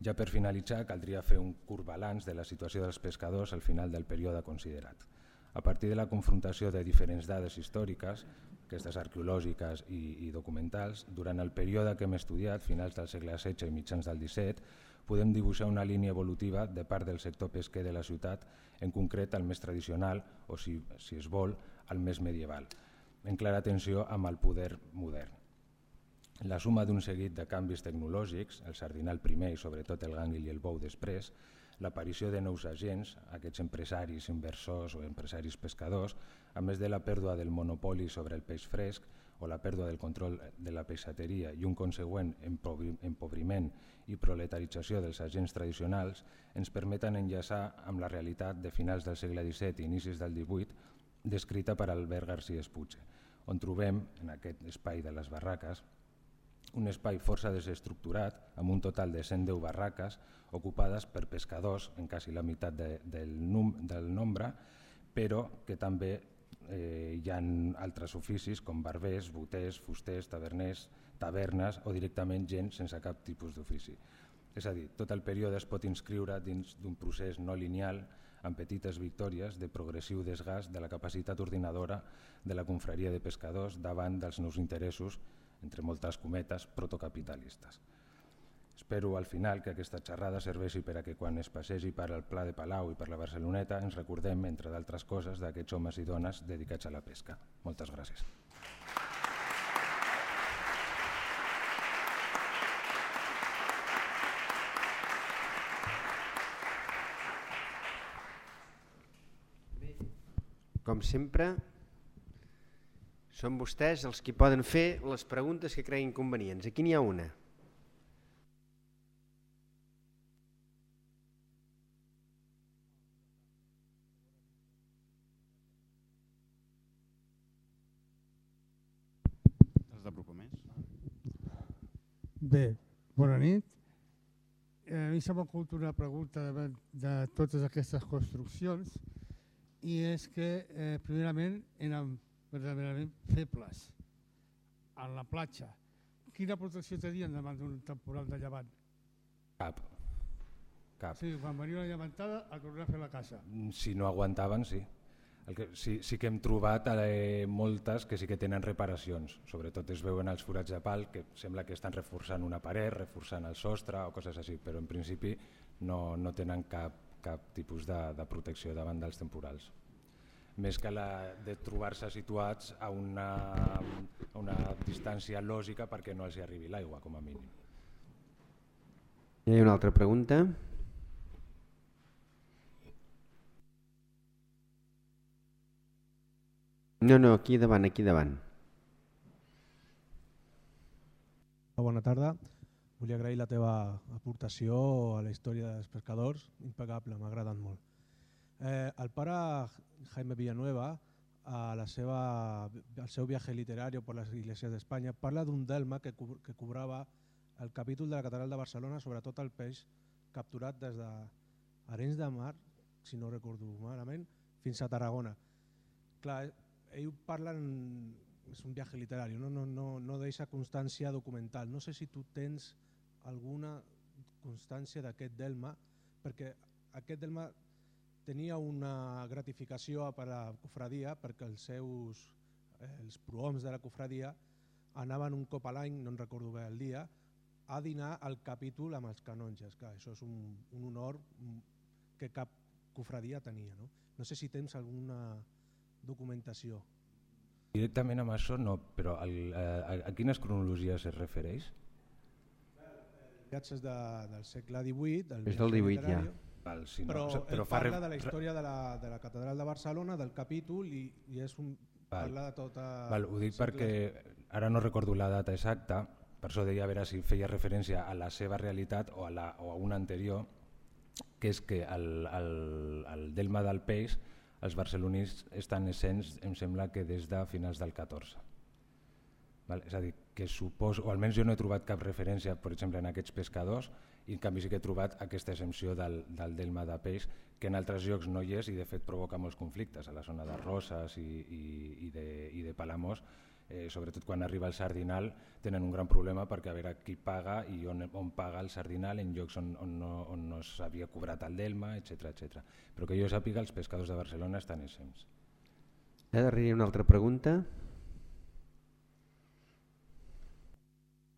Ja per finalitzar, caldria fer un curt balanç de la situació dels pescadors al final del període considerat. A partir de la confrontació de diferents dades històriques, aquestes arqueològiques i, i documentals, durant el període que hem estudiat, finals del segle setze i mitjans del disset, podem dibuixar una línia evolutiva de part del sector pesquer de la ciutat, en concret el més tradicional, o si, si es vol, el més medieval, en clara tensió amb el poder modern. La suma d'un seguit de canvis tecnològics, el sardinal primer i sobretot el gànguil i el bou després, l'aparició de nous agents, aquests empresaris, inversors o empresaris pescadors, a més de la pèrdua del monopoli sobre el peix fresc o la pèrdua del control de la peixateria i un consegüent empobriment i proletarització dels agents tradicionals, ens permeten enllaçar amb la realitat de finals del segle disset i inicis del divuit descrita per Albert García Espuche, on trobem, en aquest espai de les barraques, un espai força desestructurat amb un total de cent deu barraques ocupades per pescadors en quasi la meitat de, del, num, del nombre, però que també eh, hi ha altres oficis com barbers, boters, fusters, taverners, tavernes o directament gent sense cap tipus d'ofici. És a dir, tot el període es pot inscriure dins d'un procés no lineal amb petites victòries de progressiu desgast de la capacitat ordinadora de la confraria de pescadors davant dels nous interessos, entre moltes cometes, protocapitalistes. Espero al final que aquesta xerrada serveixi per a que quan es passegi per al Pla de Palau i per la Barceloneta ens recordem, entre d'altres coses, d'aquests homes i dones dedicats a la pesca. Moltes gràcies.
Com sempre, són vostès els que poden fer les preguntes que creguin convenients. Aquí n'hi ha una.
Bé, bona nit. A mi s'ha m'ocut una pregunta de, de totes aquestes construccions i és que eh, primerament eren verdaderament febles en la platja. Quina protecció tenien davant d'un temporal de llevant?
Cap. Cap.
Sí, quan venia una llevantada a tornar a fer la casa.
Si no aguantaven, sí. El que, sí, sí que hem trobat eh, moltes que sí que tenen reparacions, sobretot es veuen els forats de pal que sembla que estan reforçant una paret, reforçant el sostre o coses així, però en principi no, no tenen cap, cap tipus de, de protecció davant dels temporals. Més que la de trobar-se situats a una, a una distància lògica perquè no els hi arribi l'aigua, com a mínim.
Hi ha una altra pregunta? No, no, aquí davant, aquí davant.
Bona tarda. Volia agrair la teva aportació a la història dels pescadors, impecable, m'ha agradat molt. Eh, el pare Jaime Villanueva, a la seva, al seu viatge literari per les iglesias d'Espanya, parla d'un delma que, co que cobrava el capítol de la Catedral de Barcelona, sobretot el peix capturat des d'Arenys de Mar, si no recordo malament, fins a Tarragona. Clar, ell parla, en, és un viatge literari, no, no, no, no deixa constància documental. No sé si tu tens alguna constància d'aquest delma, perquè aquest delma tenia una gratificació per a la cofradia, perquè els seus, eh, els prohoms de la cofradia anaven un cop a l'any, no en recordo bé el dia, a dinar al capítol amb els canonges. Clar, això és un, un honor que cap cofradia tenia. No, no sé si tens alguna documentació.
Directament amb això no, però el, a, a quines cronologies es refereix?
És de, del segle divuit, del
és del divuit ja.
Val, si no,
però,
o sigui, però
ell parla
re...
de la història de la, de la Catedral de Barcelona, del capítol, i, i és un,
Val.
parla de tota...
Val, ho dic perquè ara no recordo la data exacta, per això deia a veure si feia referència a la seva realitat o a, la, o a una anterior, que és que el, el, el delma del peix els barcelonins estan essents, em sembla que des de finals del catorze. Val? És a dir, que suposo, o almenys jo no he trobat cap referència, per exemple, en aquests pescadors, i en canvi sí que he trobat aquesta exempció del, del delma de peix, que en altres llocs no hi és i de fet provoca molts conflictes, a la zona de Roses i, i, i, de, i de Palamós, eh, sobretot quan arriba el sardinal tenen un gran problema perquè a veure qui paga i on, on paga el sardinal en llocs on, on no, on no s'havia cobrat el delma, etcètera, etcètera. Però que jo sàpiga, els pescadors de Barcelona estan exempts.
Eh, darrere una altra pregunta.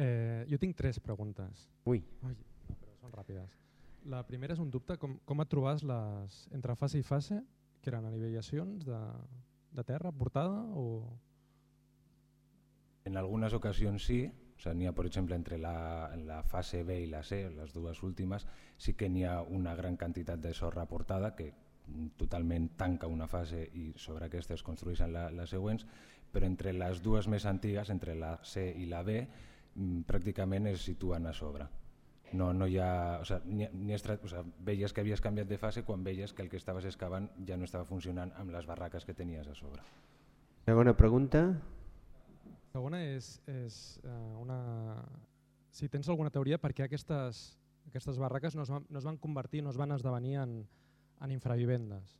Eh, jo tinc tres preguntes.
Ui.
Ai, no, però són ràpides. La primera és un dubte, com, com et trobes les, entre fase i fase, que eren anivellacions de, de terra portada o...
En algunes ocasions sí, o sea, n'hi ha, per exemple, entre la, la fase B i la C, les dues últimes, sí que n'hi ha una gran quantitat de sorra aportada que totalment tanca una fase i sobre aquesta es construeixen la, les següents, però entre les dues més antigues, entre la C i la B, pràcticament es situen a sobre. No, no hi ha, o sea, ni, ni estra, o sea, veies que havies canviat de fase quan veies que el que estaves excavant ja no estava funcionant amb les barraques que tenies a sobre.
Segona pregunta.
La segona és, és uh, una... si tens alguna teoria per què aquestes, aquestes barraques no es, van, no es van convertir, no es van esdevenir en, en infravivendes.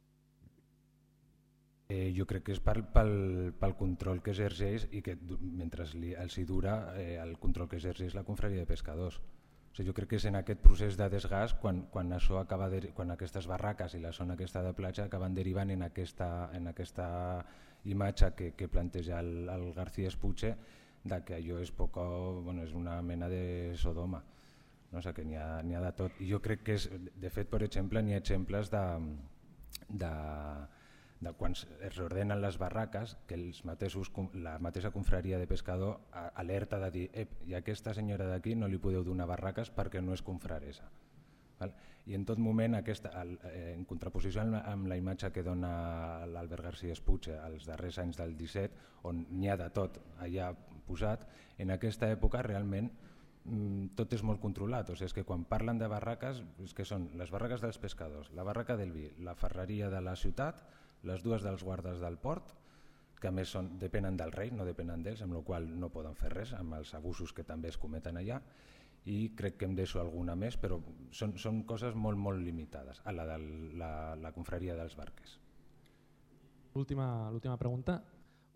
Eh, jo crec que és pel, pel, pel control que exerceix i que mentre li, els hi dura eh, el control que exerceix la confraria de pescadors. O sigui, jo crec que és en aquest procés de desgast quan, quan, això acaba de, quan aquestes barraques i la zona aquesta de platja acaben derivant en aquesta, en aquesta imatge que, que planteja el, el García Espuche de que allò és, poco, bueno, és una mena de Sodoma. No? O sigui, que n'hi ha, n'hi ha de tot. I jo crec que, és, de fet, per exemple, n'hi ha exemples de, de, de quan es reordenen les barraques que els mateixos, la mateixa confraria de pescador alerta de dir Ep, i a aquesta senyora d'aquí no li podeu donar barraques perquè no és confraresa. Val? I en tot moment, aquesta, en contraposició amb la imatge que dona l'Albert García Espuche als darrers anys del disset, on n'hi ha de tot allà posat, en aquesta època realment tot és molt controlat. O sigui, és que quan parlen de barraques, és que són les barraques dels pescadors, la barraca del vi, la ferreria de la ciutat, les dues dels guardes del port, que a més són, depenen del rei, no depenen d'ells, amb la qual no poden fer res, amb els abusos que també es cometen allà, i crec que em deixo alguna més, però són, són coses molt, molt limitades, a la de la, la confraria dels barques.
L'última l'última pregunta,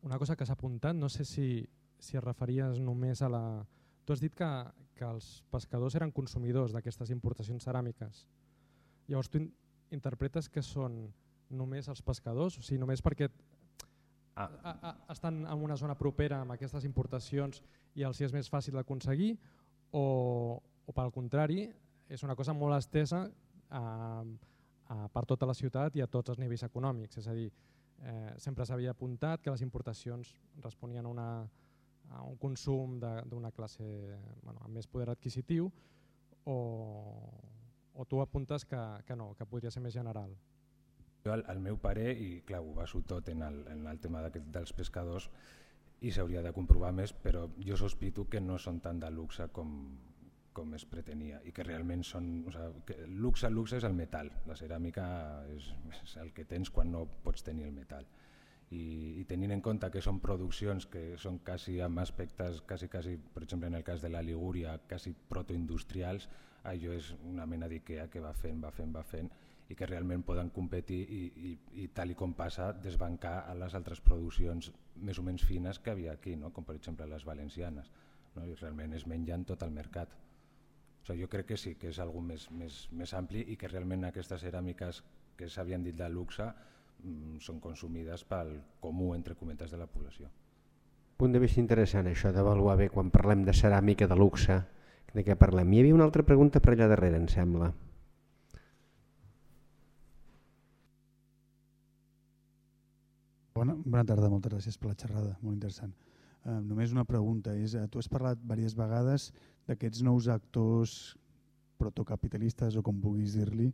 una cosa que s'ha apuntat, no sé si, si es referies només a la... Tu has dit que, que els pescadors eren consumidors d'aquestes importacions ceràmiques. Llavors tu in, interpretes que són només els pescadors, o sigui, només perquè ah. a, a, estan en una zona propera amb aquestes importacions i els és més fàcil d'aconseguir, o, o pel contrari, és una cosa molt estesa a, a, per tota la ciutat i a tots els nivells econòmics. És a dir, eh, sempre s'havia apuntat que les importacions responien a, una, a un consum d'una classe bueno, amb més poder adquisitiu, o, o tu apuntes que, que no, que podria ser més general.
Jo, el, el meu pare, i clar, ho baso tot en el, en el tema dels pescadors, i s'hauria de comprovar més, però jo sospito que no són tan de luxe com, com es pretenia, i que realment són... O sigui, que luxe, luxe és el metal, la ceràmica és, és el que tens quan no pots tenir el metal. I, i tenint en compte que són produccions que són quasi amb aspectes, quasi, quasi, per exemple en el cas de la Ligúria, quasi protoindustrials, allò és una mena d'Ikea que va fent, va fent, va fent, i que realment poden competir i, i, i tal i com passa desbancar a les altres produccions més o menys fines que havia aquí, no? Com per exemple les valencianes, no? I realment es mengen tot el mercat. O sigui, jo crec que sí, que és algo més, més, més ampli i que realment aquestes ceràmiques que s'havien dit de luxe mmm, són consumides pel comú, entre cometes, de la població.
Punt de vista interessant això d'avaluar bé quan parlem de ceràmica de luxe, de què parlem. Hi havia una altra pregunta per allà darrere, em sembla.
Bona, bona tarda, moltes gràcies per la xerrada, molt interessant. Uh, només una pregunta, és, uh, tu has parlat diverses vegades d'aquests nous actors protocapitalistes o com puguis dir-li.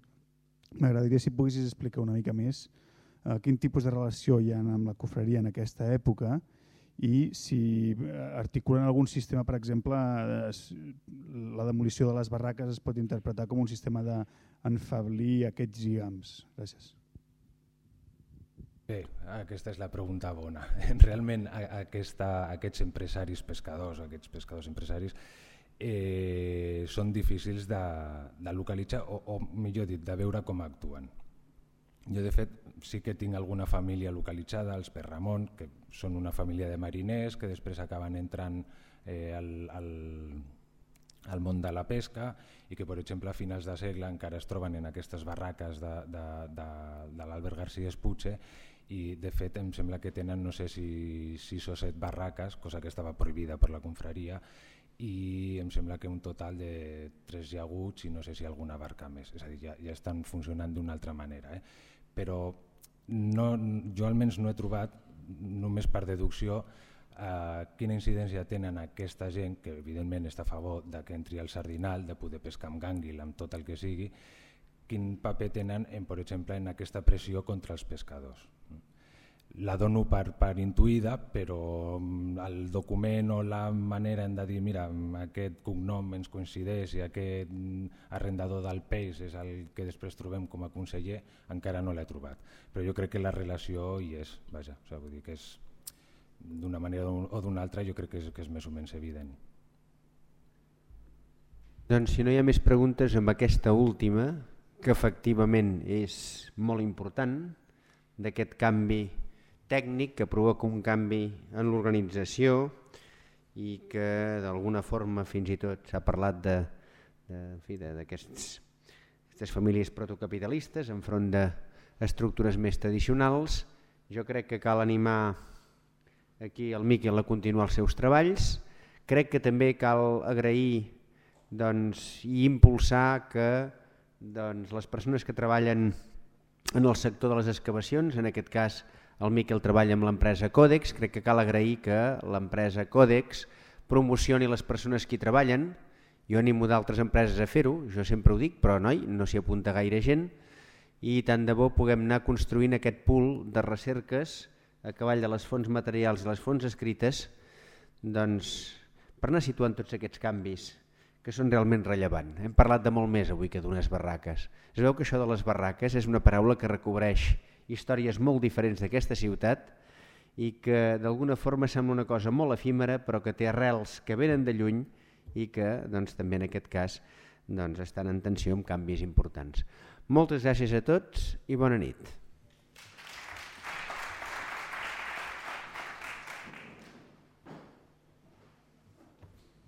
M'agradaria si poguessis explicar una mica més uh, quin tipus de relació hi ha amb la cofreria en aquesta època i si articulen algun sistema, per exemple, la demolició de les barraques es pot interpretar com un sistema d'enfablir aquests lligams. Gràcies.
Bé, aquesta és la pregunta bona. Realment aquesta, aquests empresaris pescadors, aquests pescadors empresaris, eh, són difícils de, de localitzar o, o millor dit, de veure com actuen. Jo de fet sí que tinc alguna família localitzada, els Perramon, que són una família de mariners que després acaben entrant eh, al, al, al món de la pesca i que per exemple a finals de segle encara es troben en aquestes barraques de, de, de, de l'Albert García Espuche i de fet em sembla que tenen no sé si sis o set barraques, cosa que estava prohibida per la confraria, i em sembla que un total de tres llaguts i no sé si alguna barca més, és a dir, ja, ja estan funcionant d'una altra manera. Eh? Però no, jo almenys no he trobat, només per deducció, eh, quina incidència tenen aquesta gent, que evidentment està a favor de que entri al sardinal, de poder pescar amb gànguil, amb tot el que sigui, quin paper tenen, en, per exemple, en aquesta pressió contra els pescadors. La dono per, per intuïda, però el document o la manera hem de dir mira, aquest cognom ens coincideix i aquest arrendador del peix és el que després trobem com a conseller, encara no l'he trobat. Però jo crec que la relació hi és, vaja, o sigui, vull dir que és d'una manera o d'una altra, jo crec que és, que és més o menys evident.
Doncs si no hi ha més preguntes amb aquesta última, que efectivament és molt important, d'aquest canvi tècnic que provoca un canvi en l'organització i que d'alguna forma fins i tot s'ha parlat d'aquestes famílies protocapitalistes enfront d'estructures més tradicionals. Jo crec que cal animar aquí el Miquel a continuar els seus treballs. Crec que també cal agrair doncs, i impulsar que doncs, les persones que treballen en el sector de les excavacions, en aquest cas el Miquel treballa amb l'empresa Codex, crec que cal agrair que l'empresa Codex promocioni les persones que hi treballen. Jo animo d'altres empreses a fer-ho, jo sempre ho dic, però noi, no s'hi apunta gaire gent i tant de bo puguem anar construint aquest pool de recerques a cavall de les fonts materials i les fonts escrites doncs, per anar situant tots aquests canvis que són realment rellevants. Hem parlat de molt més avui que d'unes barraques. Es veu que això de les barraques és una paraula que recobreix històries molt diferents d'aquesta ciutat i que d'alguna forma sembla una cosa molt efímera però que té arrels que venen de lluny i que doncs, també en aquest cas doncs, estan en tensió amb canvis importants. Moltes gràcies a tots i bona nit.